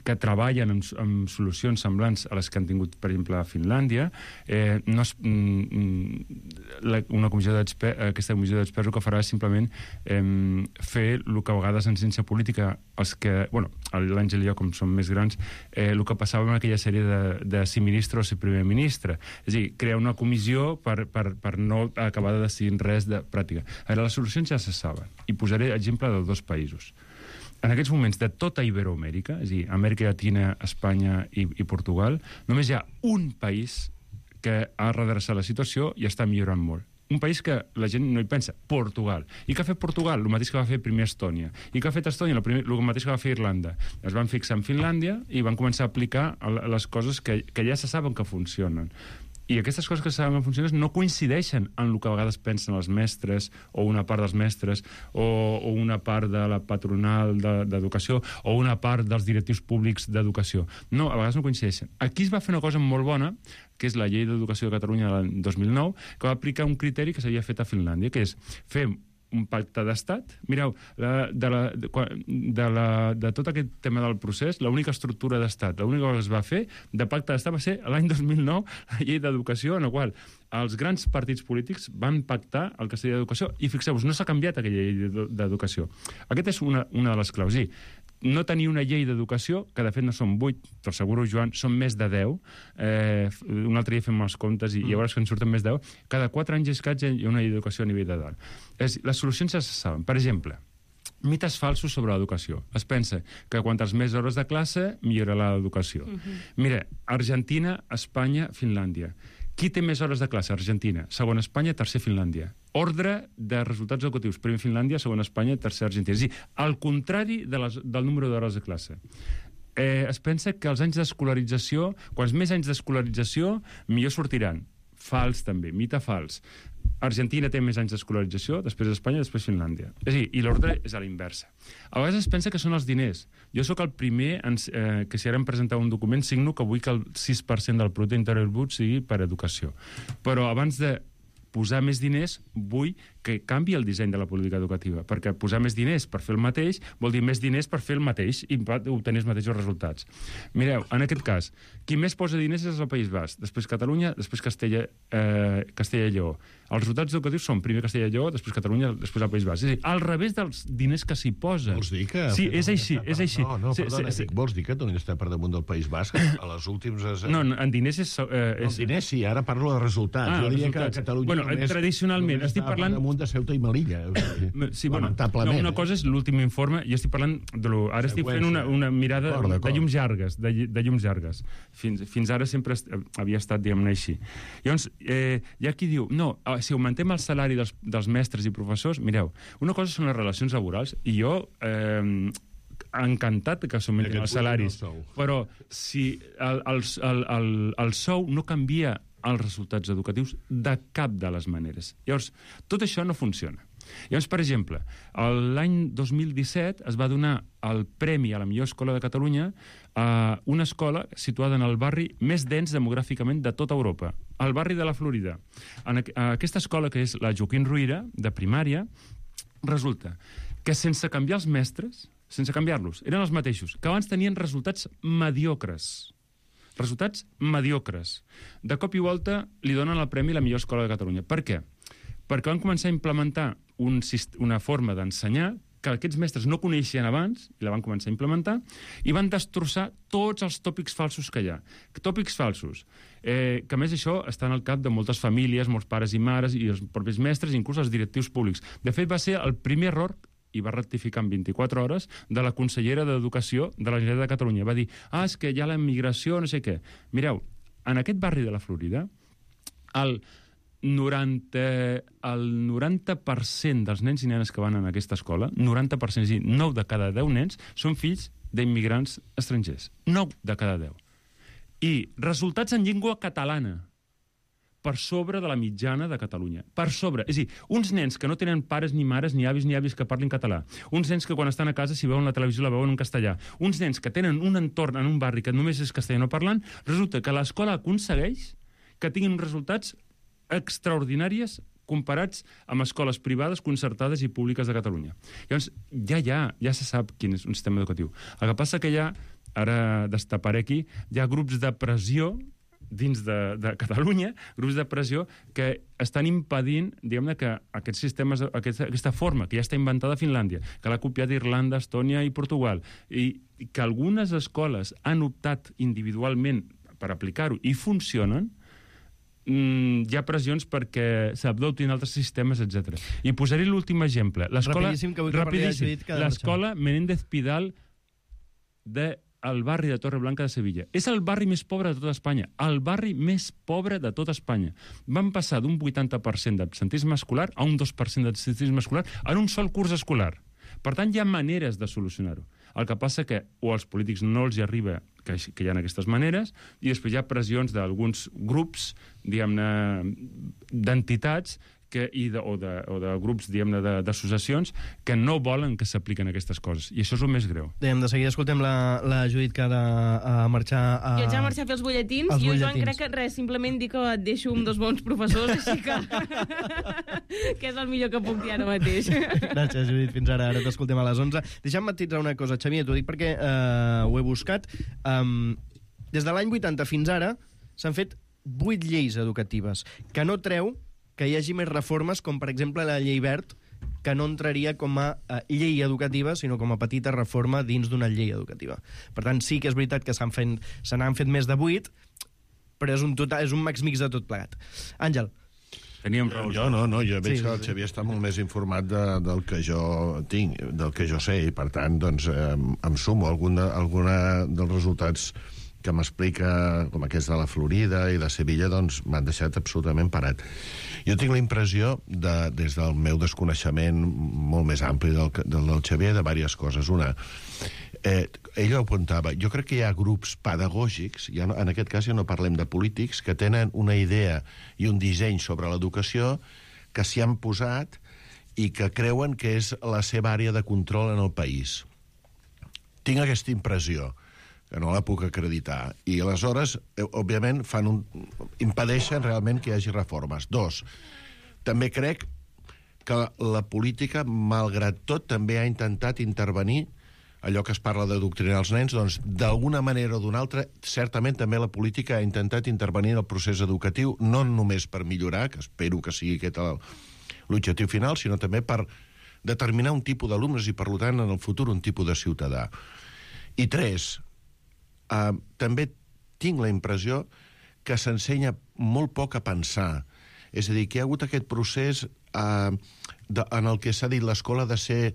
que treballen en, en solucions semblants a les que han tingut, per exemple, a Finlàndia. Eh, no es, la, una comissió d'experts, aquesta comissió d'experts el que farà és simplement eh, fer el que a vegades en ciència política els que, bueno, l'Àngel i jo, com som més grans, eh, el que passava en aquella sèrie de, de si ministre o si primer ministre. És a dir, crear una comissió per, per, per no acabar de decidir res de pràctica. Ara, les solucions ja se saben. I posaré exemple de dos països. En aquests moments de tota Iberoamèrica, és a dir, Amèrica Llatina, Espanya i, i Portugal, només hi ha un país que ha redreçat la situació i està millorant molt. Un país que la gent no hi pensa, Portugal. I què ha fet Portugal? El mateix que va fer primer Estònia. I què ha fet Estònia? El, primer, el mateix que va fer Irlanda. Es van fixar en Finlàndia i van començar a aplicar les coses que, que ja se saben que funcionen. I aquestes coses que saben que funcionen no coincideixen en el que a vegades pensen els mestres o una part dels mestres o, o una part de la patronal d'educació de, o una part dels directius públics d'educació. No, a vegades no coincideixen. Aquí es va fer una cosa molt bona, que és la llei d'educació de Catalunya del dos mil nou, que va aplicar un criteri que s'havia fet a Finlàndia, que és fer un pacte d'estat. Mireu, la, de, la, de, de, la, de tot aquest tema del procés, l'única estructura d'estat, l'única cosa que es va fer de pacte d'estat va ser l'any dos mil nou, la llei d'educació, en la qual els grans partits polítics van pactar el que seria d'educació, i fixeu-vos, no s'ha canviat aquella llei d'educació. Aquesta és una, una de les claus. Sí, no tenir una llei d'educació, que de fet no són vuit, t'asseguro, Joan, són més de deu. Eh, un altre dia fem els comptes i, mm. i llavors que en surten més de deu. Cada quatre anys i escaig hi ha una llei d'educació a nivell de dalt. És, les solucions ja se saben. Per exemple, mites falsos sobre l'educació. Es pensa que quantes més hores de classe, millorarà l'educació. Mm-hmm. Mira, Argentina, Espanya, Finlàndia. Qui té més hores de classe? Argentina. Segon, Espanya. Tercer, Finlàndia. Ordre de resultats educatius. Primer, Finlàndia. Segon, Espanya. Tercer, Argentina. És a dir, al contrari de les, del número d'hores de classe. Eh, es pensa que els anys d'escolarització, quants més anys d'escolarització, millor sortiran. Fals, també. Mite fals. Argentina té més anys d'escolarització, després Espanya, després Finlàndia. És a dir, i l'ordre és a la inversa. A vegades es pensa que són els diners. Jo sóc el primer en, eh, que si ara em presentava un document signo que vull que el sis per cent del producte interior brut sigui per educació. Però abans de posar més diners, vull que canvi el disseny de la política educativa, perquè posar més diners per fer el mateix vol dir més diners per fer el mateix i obtenir els mateixos resultats. Mireu, en aquest cas, qui més posa diners és el País Basc, després Catalunya, després Castella, eh, Castella i Lleó. Els resultats educatius són primer Castella i Lleó, després Catalunya, després el País Basc. És a dir, al revés dels diners que s'hi posen. Vols dir que... Sí, és així, és així. No, no, sí, perdona, sí, sí, vols dir que Catalunya està per damunt del País Basc? A les últims... No, en diners és... Eh, és... En diners sí, ara parlo de resultats. Ah, jo diria resultats. que Catalunya bueno, només, tradicionalment, només estic parlant... per damunt de Ceuta i Melilla. O sigui, sí, bueno, lamentablement. No, una cosa és l'últim informe, jo estic parlant... De lo, ara estic fent una, una mirada de, de llums llargues, de, de llums llargues. Fins, fins ara sempre est, havia estat, diguem-ne, així. Llavors, eh, hi ha qui diu, no, si augmentem el salari dels, dels mestres i professors, mireu, una cosa són les relacions laborals, i jo... Eh, encantat que s'augmentin els salaris, però si el, el, el, el, el sou no canvia els resultats educatius de cap de les maneres. Llavors, tot això no funciona. Llavors, per exemple, l'any dos mil disset es va donar el premi a la millor escola de Catalunya a una escola situada en el barri més dens demogràficament de tota Europa, el barri de la Florida. En aquesta escola, que és la Joaquim Ruyra, de primària, resulta que sense canviar els mestres, sense canviar-los, eren els mateixos, que abans tenien resultats mediocres. Resultats mediocres. De cop i volta li donen el premi a la millor escola de Catalunya. Per què? Perquè van començar a implementar un, una forma d'ensenyar que aquests mestres no coneixien abans, i la van començar a implementar, i van destrossar tots els tòpics falsos que hi ha. Tòpics falsos, eh, que a més això està en el cap de moltes famílies, molts pares i mares, i els propis mestres, inclús els directius públics. De fet, va ser el primer error i va rectificar en vint-i-quatre hores, de la consellera d'Educació de la Generalitat de Catalunya. Va dir, ah, és que hi ha la immigració, no sé què. Mireu, en aquest barri de la Florida, el noranta, el noranta per cent dels nens i nenes que van en aquesta escola, noranta per cent, és a dir, nou de cada deu nens, són fills d'immigrants estrangers. nou de cada deu. I resultats en llengua catalana, per sobre de la mitjana de Catalunya. Per sobre. És a dir, uns nens que no tenen pares ni mares, ni avis ni avis que parlin català. Uns nens que quan estan a casa, si veuen la televisió, la veuen en castellà. Uns nens que tenen un entorn en un barri que només és castellano parlant, resulta que l'escola aconsegueix que tinguin resultats extraordinàries comparats amb escoles privades, concertades i públiques de Catalunya. Llavors, ja hi ha, ja se sap quin és un sistema educatiu. El que passa que hi ha, ara destaparé aquí, hi ha grups de pressió dins de, de Catalunya, grups de pressió que estan impedint, diguem-ne, que aquests sistemes, aquesta, aquesta forma que ja està inventada a Finlàndia, que l'ha copiat Irlanda, Estònia i Portugal, i que algunes escoles han optat individualment per aplicar-ho i funcionen, mm, hi ha pressions perquè s'adoptin altres sistemes, etcètera. I posaré l'últim exemple. L'escola, rapidíssim, que vull que rapidíssim, que l'escola Menéndez Pidal de el barri de Torreblanca de Sevilla. És el barri més pobre de tota Espanya. El barri més pobre de tota Espanya. Van passar d'un vuitanta per cent d'absentisme escolar a un dos per cent d'absentisme escolar en un sol curs escolar. Per tant, hi ha maneres de solucionar-ho. El que passa que o als polítics no els hi arriba que, que hi ha aquestes maneres, i després hi ha pressions d'alguns grups, diguem-ne, d'entitats que, i de, o, de, o de grups, diguem-ne, d'associacions que no volen que s'apliquen aquestes coses. I això és el més greu. Dèiem, de seguida escoltem la, la Judit, que ha de a marxar a... Jo haig de marxar a fer els butlletins. Els Jo, Joan, butlletins. crec que res, simplement dic que et deixo amb dos bons professors, així que... que és el millor que puc dir ara mateix. Gràcies, Judit. Fins ara. Ara t'escoltem a les onze. Deixa'm matitzar una cosa, Xavier, t'ho dic perquè eh, ho he buscat. Um, des de l'any vuitanta fins ara s'han fet vuit lleis educatives, que no treu que hi hagi més reformes, com per exemple la llei Wert, que no entraria com a uh, llei educativa, sinó com a petita reforma dins d'una llei educativa. Per tant, sí que és veritat que s'han fet, se n'han fet més de vuit, però és un, total, és un max mix de tot plegat. Àngel. Teníem raó. Jo no, no, jo veig Sí, que el sí. Xavier està molt més informat de, del que jo tinc, del que jo sé, i per tant, doncs, eh, em sumo a alguna, alguna dels resultats que m'explica, com aquests de la Florida i de Sevilla, doncs m'han deixat absolutament parat. Jo tinc la impressió, de, des del meu desconeixement molt més ampli del, del, del Xavier, de diverses coses. Una, eh, ell ho apuntava, jo crec que hi ha grups pedagògics, ja no, en aquest cas ja no parlem de polítics, que tenen una idea i un disseny sobre l'educació que s'hi han posat i que creuen que és la seva àrea de control en el país. Tinc aquesta impressió, que no la puc acreditar. I aleshores, eh, òbviament, fan un... impedeixen realment que hi hagi reformes. Dos, també crec que la política, malgrat tot, també ha intentat intervenir allò que es parla d'adoctrinar els nens, doncs, d'alguna manera o d'una altra, certament també la política ha intentat intervenir en el procés educatiu, no només per millorar, que espero que sigui aquest el, l'objectiu final, sinó també per determinar un tipus d'alumnes i, per tant, en el futur, un tipus de ciutadà. I tres, Uh, també tinc la impressió que s'ensenya molt poc a pensar. És a dir, que hi ha hagut aquest procés uh, de, en el que s'ha dit l'escola ha de ser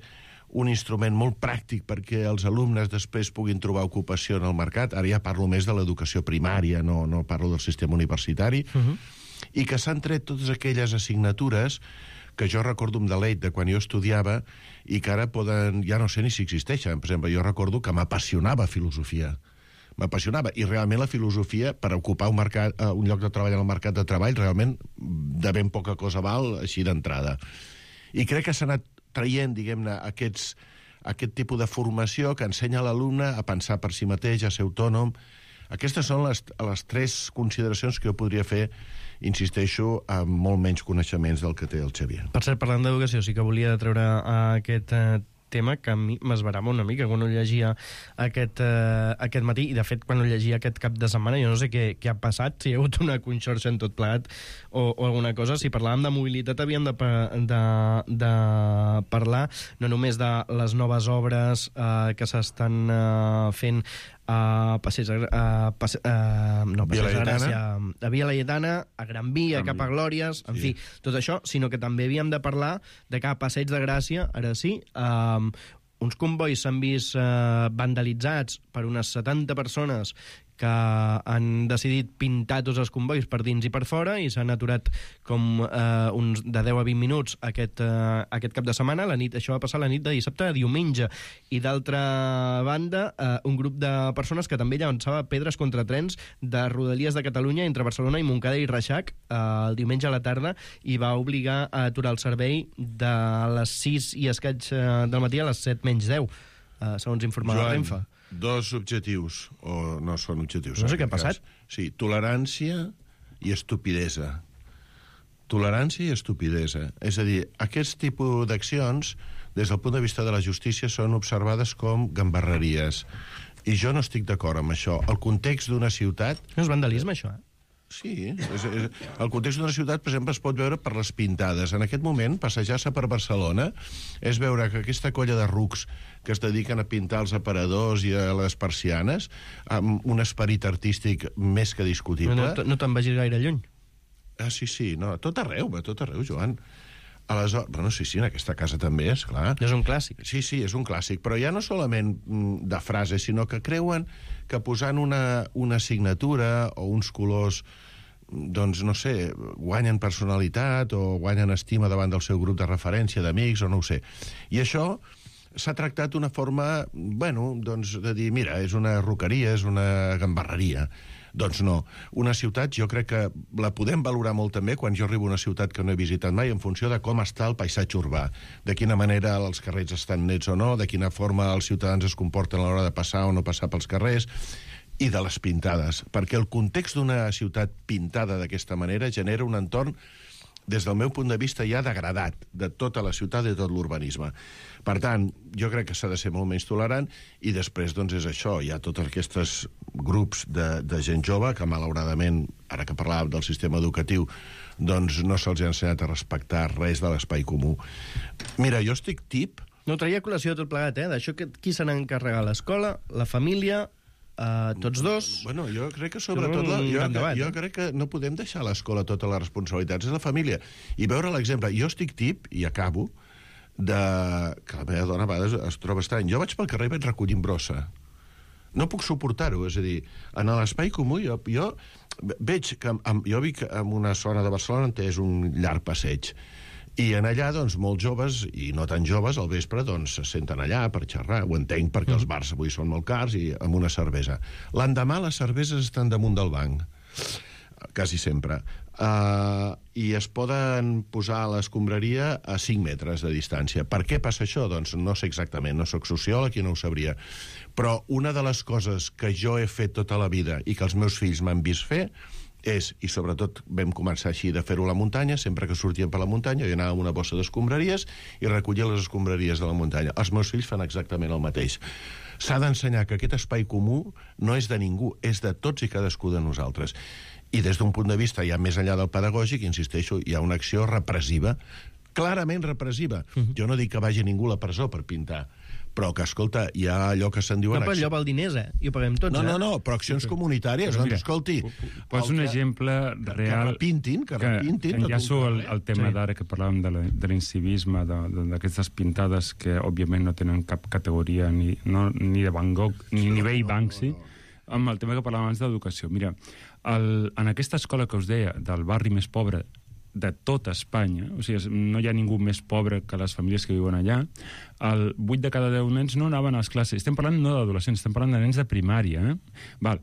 un instrument molt pràctic perquè els alumnes després puguin trobar ocupació en el mercat. Ara ja parlo més de l'educació primària, no, no parlo del sistema universitari. Uh-huh. I que s'han tret totes aquelles assignatures que jo recordo amb delet de quan jo estudiava i que ara poden... ja no sé ni si existeixen. Per exemple, jo recordo que m'apassionava filosofia. M'apassionava. I realment la filosofia, per ocupar un, mercat, uh, un lloc de treball en el mercat de treball, realment de ben poca cosa val així d'entrada. I crec que s'ha anat traient, diguem-ne, aquests, aquest tipus de formació que ensenya l'alumne a pensar per si mateix, a ser autònom. Aquestes són les, les tres consideracions que jo podria fer, insisteixo, amb molt menys coneixements del que té el Xavier. Per cert, parlant d'educació, sí que volia treure aquest eh, tema que a mi m'esverava una mica quan ho llegia aquest, eh, aquest matí, i de fet quan ho llegia aquest cap de setmana jo no sé què, què ha passat, si hi ha hagut una conxorxa en tot plegat o, o alguna cosa. Si parlàvem de mobilitat havíem de, de, de parlar no només de les noves obres eh, que s'estan eh, fent a Passeig, a, passe, a, no, Passeig de Gràcia, a Via Laietana, a Gran Via, cap a Glòries, en sí. fi, tot això, sinó que també havíem de parlar de que a Passeig de Gràcia, ara sí, um, uns convois s'han vist uh, vandalitzats per unes setanta persones que han decidit pintar tots els convois per dins i per fora i s'han aturat com eh, uns de deu a vint minuts aquest, eh, aquest cap de setmana. La nit, això va passar la nit de dissabte a diumenge. I d'altra banda, eh, un grup de persones que també llançava pedres contra trens de Rodalies de Catalunya entre Barcelona i Montcada i Reixac eh, el diumenge a la tarda i va obligar a aturar el servei de les sis i escaig eh, del matí a les set menys deu, eh, segons informava la Renfe. Dos objectius, o no són objectius. No sé què ha passat. Cas. Sí, tolerància i estupidesa. Tolerància i estupidesa. És a dir, aquest tipus d'accions, des del punt de vista de la justícia, són observades com gambarreries. I jo no estic d'acord amb això. El context d'una ciutat... No és vandalisme, això, eh? Sí, és, és, el context d'una ciutat, per exemple, es pot veure per les pintades. En aquest moment, passejar-se per Barcelona és veure que aquesta colla de rucs que es dediquen a pintar els aparadors i a les persianes, amb un esperit artístic més que discutible... No, no, no te'n vagis gaire lluny. Ah, sí, sí, no, a tot arreu, a tot arreu, Joan. Aleshores, bueno, sí, sí, en aquesta casa també, és clar. És un clàssic. Sí, sí, és un clàssic, però ja no solament de frases, sinó que creuen que posant una, una assignatura o uns colors, doncs, no sé, guanyen personalitat o guanyen estima davant del seu grup de referència, d'amics, o no ho sé. I això s'ha tractat d'una forma, bueno, doncs, de dir, mira, és una roqueria, és una gambarreria. Doncs no. Una ciutat jo crec que la podem valorar molt també quan jo arribo a una ciutat que no he visitat mai en funció de com està el paisatge urbà, de quina manera els carrers estan nets o no, de quina forma els ciutadans es comporten a l'hora de passar o no passar pels carrers, i de les pintades, perquè el context d'una ciutat pintada d'aquesta manera genera un entorn, des del meu punt de vista, ja degradat de tota la ciutat i de tot l'urbanisme. Per tant, jo crec que s'ha de ser molt menys tolerant, i després, doncs, és això, hi ha tots aquests grups de, de gent jove que, malauradament, ara que parlàvem del sistema educatiu, doncs no se'ls ha ensenyat a respectar res de l'espai comú. Mira, jo estic tip... No traia col·lació tot plegat, eh? D'això que qui se n'ha encarregat? L'escola, la família... Uh, tots dos... Bueno, jo crec que sobretot... La, jo, debat, jo eh? crec que no podem deixar a l'escola totes les responsabilitats, és la família. I veure l'exemple... Jo estic tip, i acabo, de... que la meva dona a vegades es troba estrany. Jo vaig pel carrer i vaig recollint brossa. No puc suportar-ho, és a dir, en l'espai comú jo, jo veig que... Amb, jo vic en una zona de Barcelona on és un llarg passeig. I en allà, doncs, molts joves, i no tan joves, al vespre, doncs, se senten allà per xerrar. Ho entenc, perquè els bars avui són molt cars, i amb una cervesa. L'endemà les cerveses estan damunt del banc, quasi sempre. Uh, I es poden posar a l'escombraria a cinc metres de distància. Per què passa això? Doncs no sé exactament, no sóc sociòleg i no ho sabria. Però una de les coses que jo he fet tota la vida i que els meus fills m'han vist fer és, i sobretot vam començar així de fer-ho a la muntanya, sempre que sortíem per la muntanya jo anava amb una bossa d'escombraries i recollia les escombraries de la muntanya. Els meus fills fan exactament el mateix. S'ha d'ensenyar que aquest espai comú no és de ningú, és de tots i cadascú de nosaltres. I des d'un punt de vista ja més enllà del pedagògic, insisteixo, hi ha una acció repressiva, clarament repressiva. Uh-huh. Jo no dic que vagi ningú a la presó per pintar, però que, escolta, hi ha allò que se'n diuen... No, però allò val diners, eh? I ho paguem tots, no, eh? No, no, però accions comunitàries, doncs, escolti... Pots un exemple real... Que repintin, que repintin... Que enllaço el, el tema sí. d'ara que parlàvem de l'incivisme, d'aquestes pintades que, òbviament, no tenen cap categoria ni, no, ni de Van Gogh, ni sí, nivell no, Banksy, no, no. Amb el tema que parlàvem abans d'educació. Mira, el, en aquesta escola que us deia, del barri més pobre de tota Espanya, o sigui, no hi ha ningú més pobre que les famílies que viuen allà, el vuit de cada deu nens no anaven a les classes. Estem parlant no d'adolescents, estem parlant de nens de primària. Eh? Val.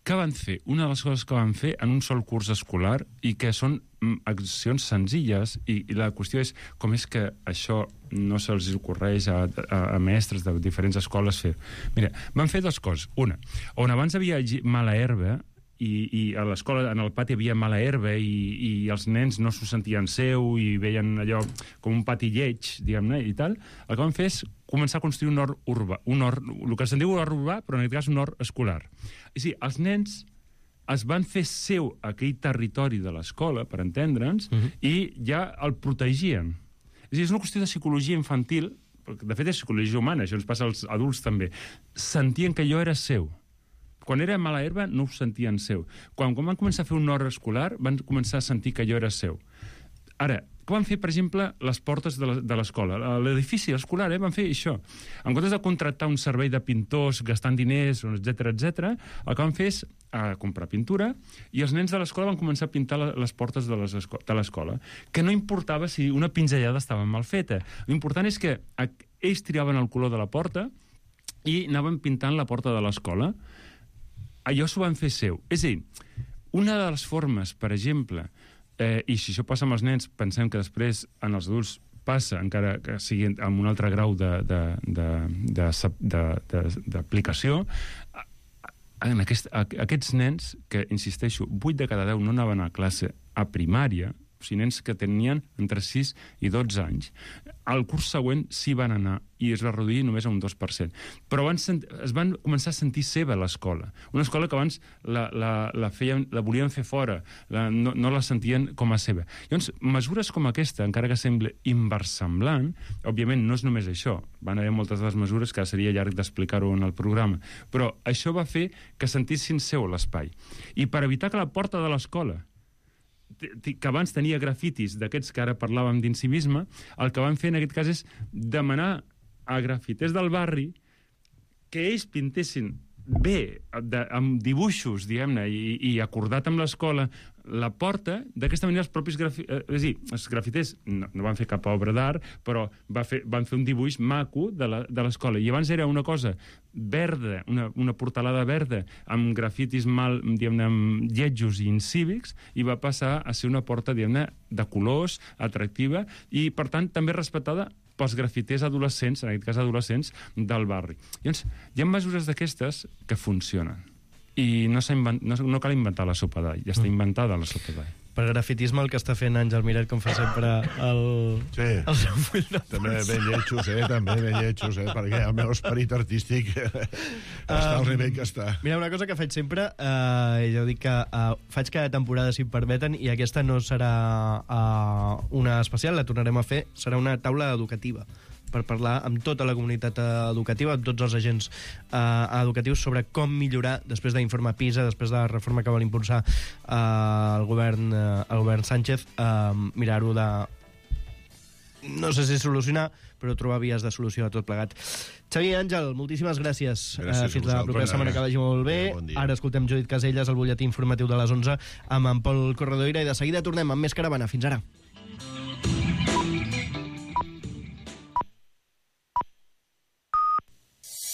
Què van fer? Una de les coses que van fer en un sol curs escolar i que són accions senzilles, i, i la qüestió és com és que això no se'ls ocorreix a, a, a mestres de diferents escoles fer. Mira, van fer dues coses. Una, on abans havia mala herba, i, i a l'escola, en el pati, hi havia mala herba i, i els nens no s'ho sentien seu i veien allò com un pati lleig, diguem-ne, i tal, el que van fer és començar a construir un hort urbà, un hort, el que se'n diu hort urbà, però en aquest cas un hort escolar. I sí, els nens es van fer seu aquell territori de l'escola, per entendre'ns, uh-huh. i ja el protegien. És a dir, és una qüestió de psicologia infantil, perquè de fet és psicologia humana, això ens passa als adults també. Sentien que allò era seu. Quan era mala herba no ho sentien seu. Quan, quan van començar a fer un hort escolar van començar a sentir que allò era seu. Ara, què van fer, per exemple, les portes de l'escola? L'edifici escolar, eh, van fer això. En comptes de contractar un servei de pintors gastant diners, etcètera, etcètera, el que van fer és a comprar pintura i els nens de l'escola van començar a pintar les portes de l'escola. Que no importava si una pinzellada estava mal feta. L'important és que ells triaven el color de la porta i anaven pintant la porta de l'escola. Allò s'ho van fer seu. És a dir, una de les formes, per exemple, eh, i si això passa amb els nens, pensem que després en els adults passa, encara que sigui amb un altre grau d'aplicació, en aquest, aquests nens, que, insisteixo, vuit de cada deu no anaven a classe a primària, o sigui, nens que tenien entre sis i dotze anys. Al curs següent sí van anar i es va reduir només a un dos per cent. Però van es van començar a sentir seva l'escola. Una escola que abans la, la, la, feien, la volien fer fora, la, no, no la sentien com a seva. Llavors, mesures com aquesta, encara que sembla inversemblant, òbviament no és només això, van haver moltes de les mesures que seria llarg d'explicar-ho en el programa, però això va fer que sentissin seu l'espai. I per evitar que la porta de l'escola, que abans tenia grafitis d'aquests que ara parlàvem d'incivisme, el que van fer en aquest cas és demanar a grafiters del barri que ells pintessin bé, de, amb dibuixos, diguem-ne, i, i acordat amb l'escola, la porta, d'aquesta manera els propis grafi... eh, és a dir, els grafiters no, no van fer cap obra d'art, però va fer, van fer un dibuix maco de la- de l'escola. I abans era una cosa verda, una, una portalada verda, amb grafitis mal, diguem-ne, amb lletjos i incívics, i va passar a ser una porta, diguem-ne, de colors, atractiva, i, per tant, també respectada pels grafiters adolescents, en aquest cas adolescents, del barri. Llavors, hi ha mesures d'aquestes que funcionen. I no, invent... no, no cal inventar la sopa d'all, ja està inventada la sopa d'all. Per grafitisme el que està fent Àngel Miret, com fa sempre, el, sí. el seu full de També ben lletjos, eh? També ben lletjos, eh? Perquè el meu esperit artístic està al nivell que està. Mira, una cosa que faig sempre, eh, jo dic que eh, faig cada temporada, si em permeten, i aquesta no serà eh, una especial, la tornarem a fer, serà una taula educativa per parlar amb tota la comunitat educativa, amb tots els agents eh, educatius sobre com millorar, després d'informe PISA, després de la reforma que vol impulsar eh, el, govern, eh, el govern Sánchez, eh, mirar-ho de... no sé si solucionar, però trobar vies de solució a tot plegat. Xavi i Àngel, moltíssimes gràcies. Gràcies eh, fins la propera setmana, que vagi molt bé. Bon dia. Ara escoltem Judit Caselles, el butlletí informatiu de les onze, amb en Pol Corredoira, i de seguida tornem amb més Caravana. Fins ara.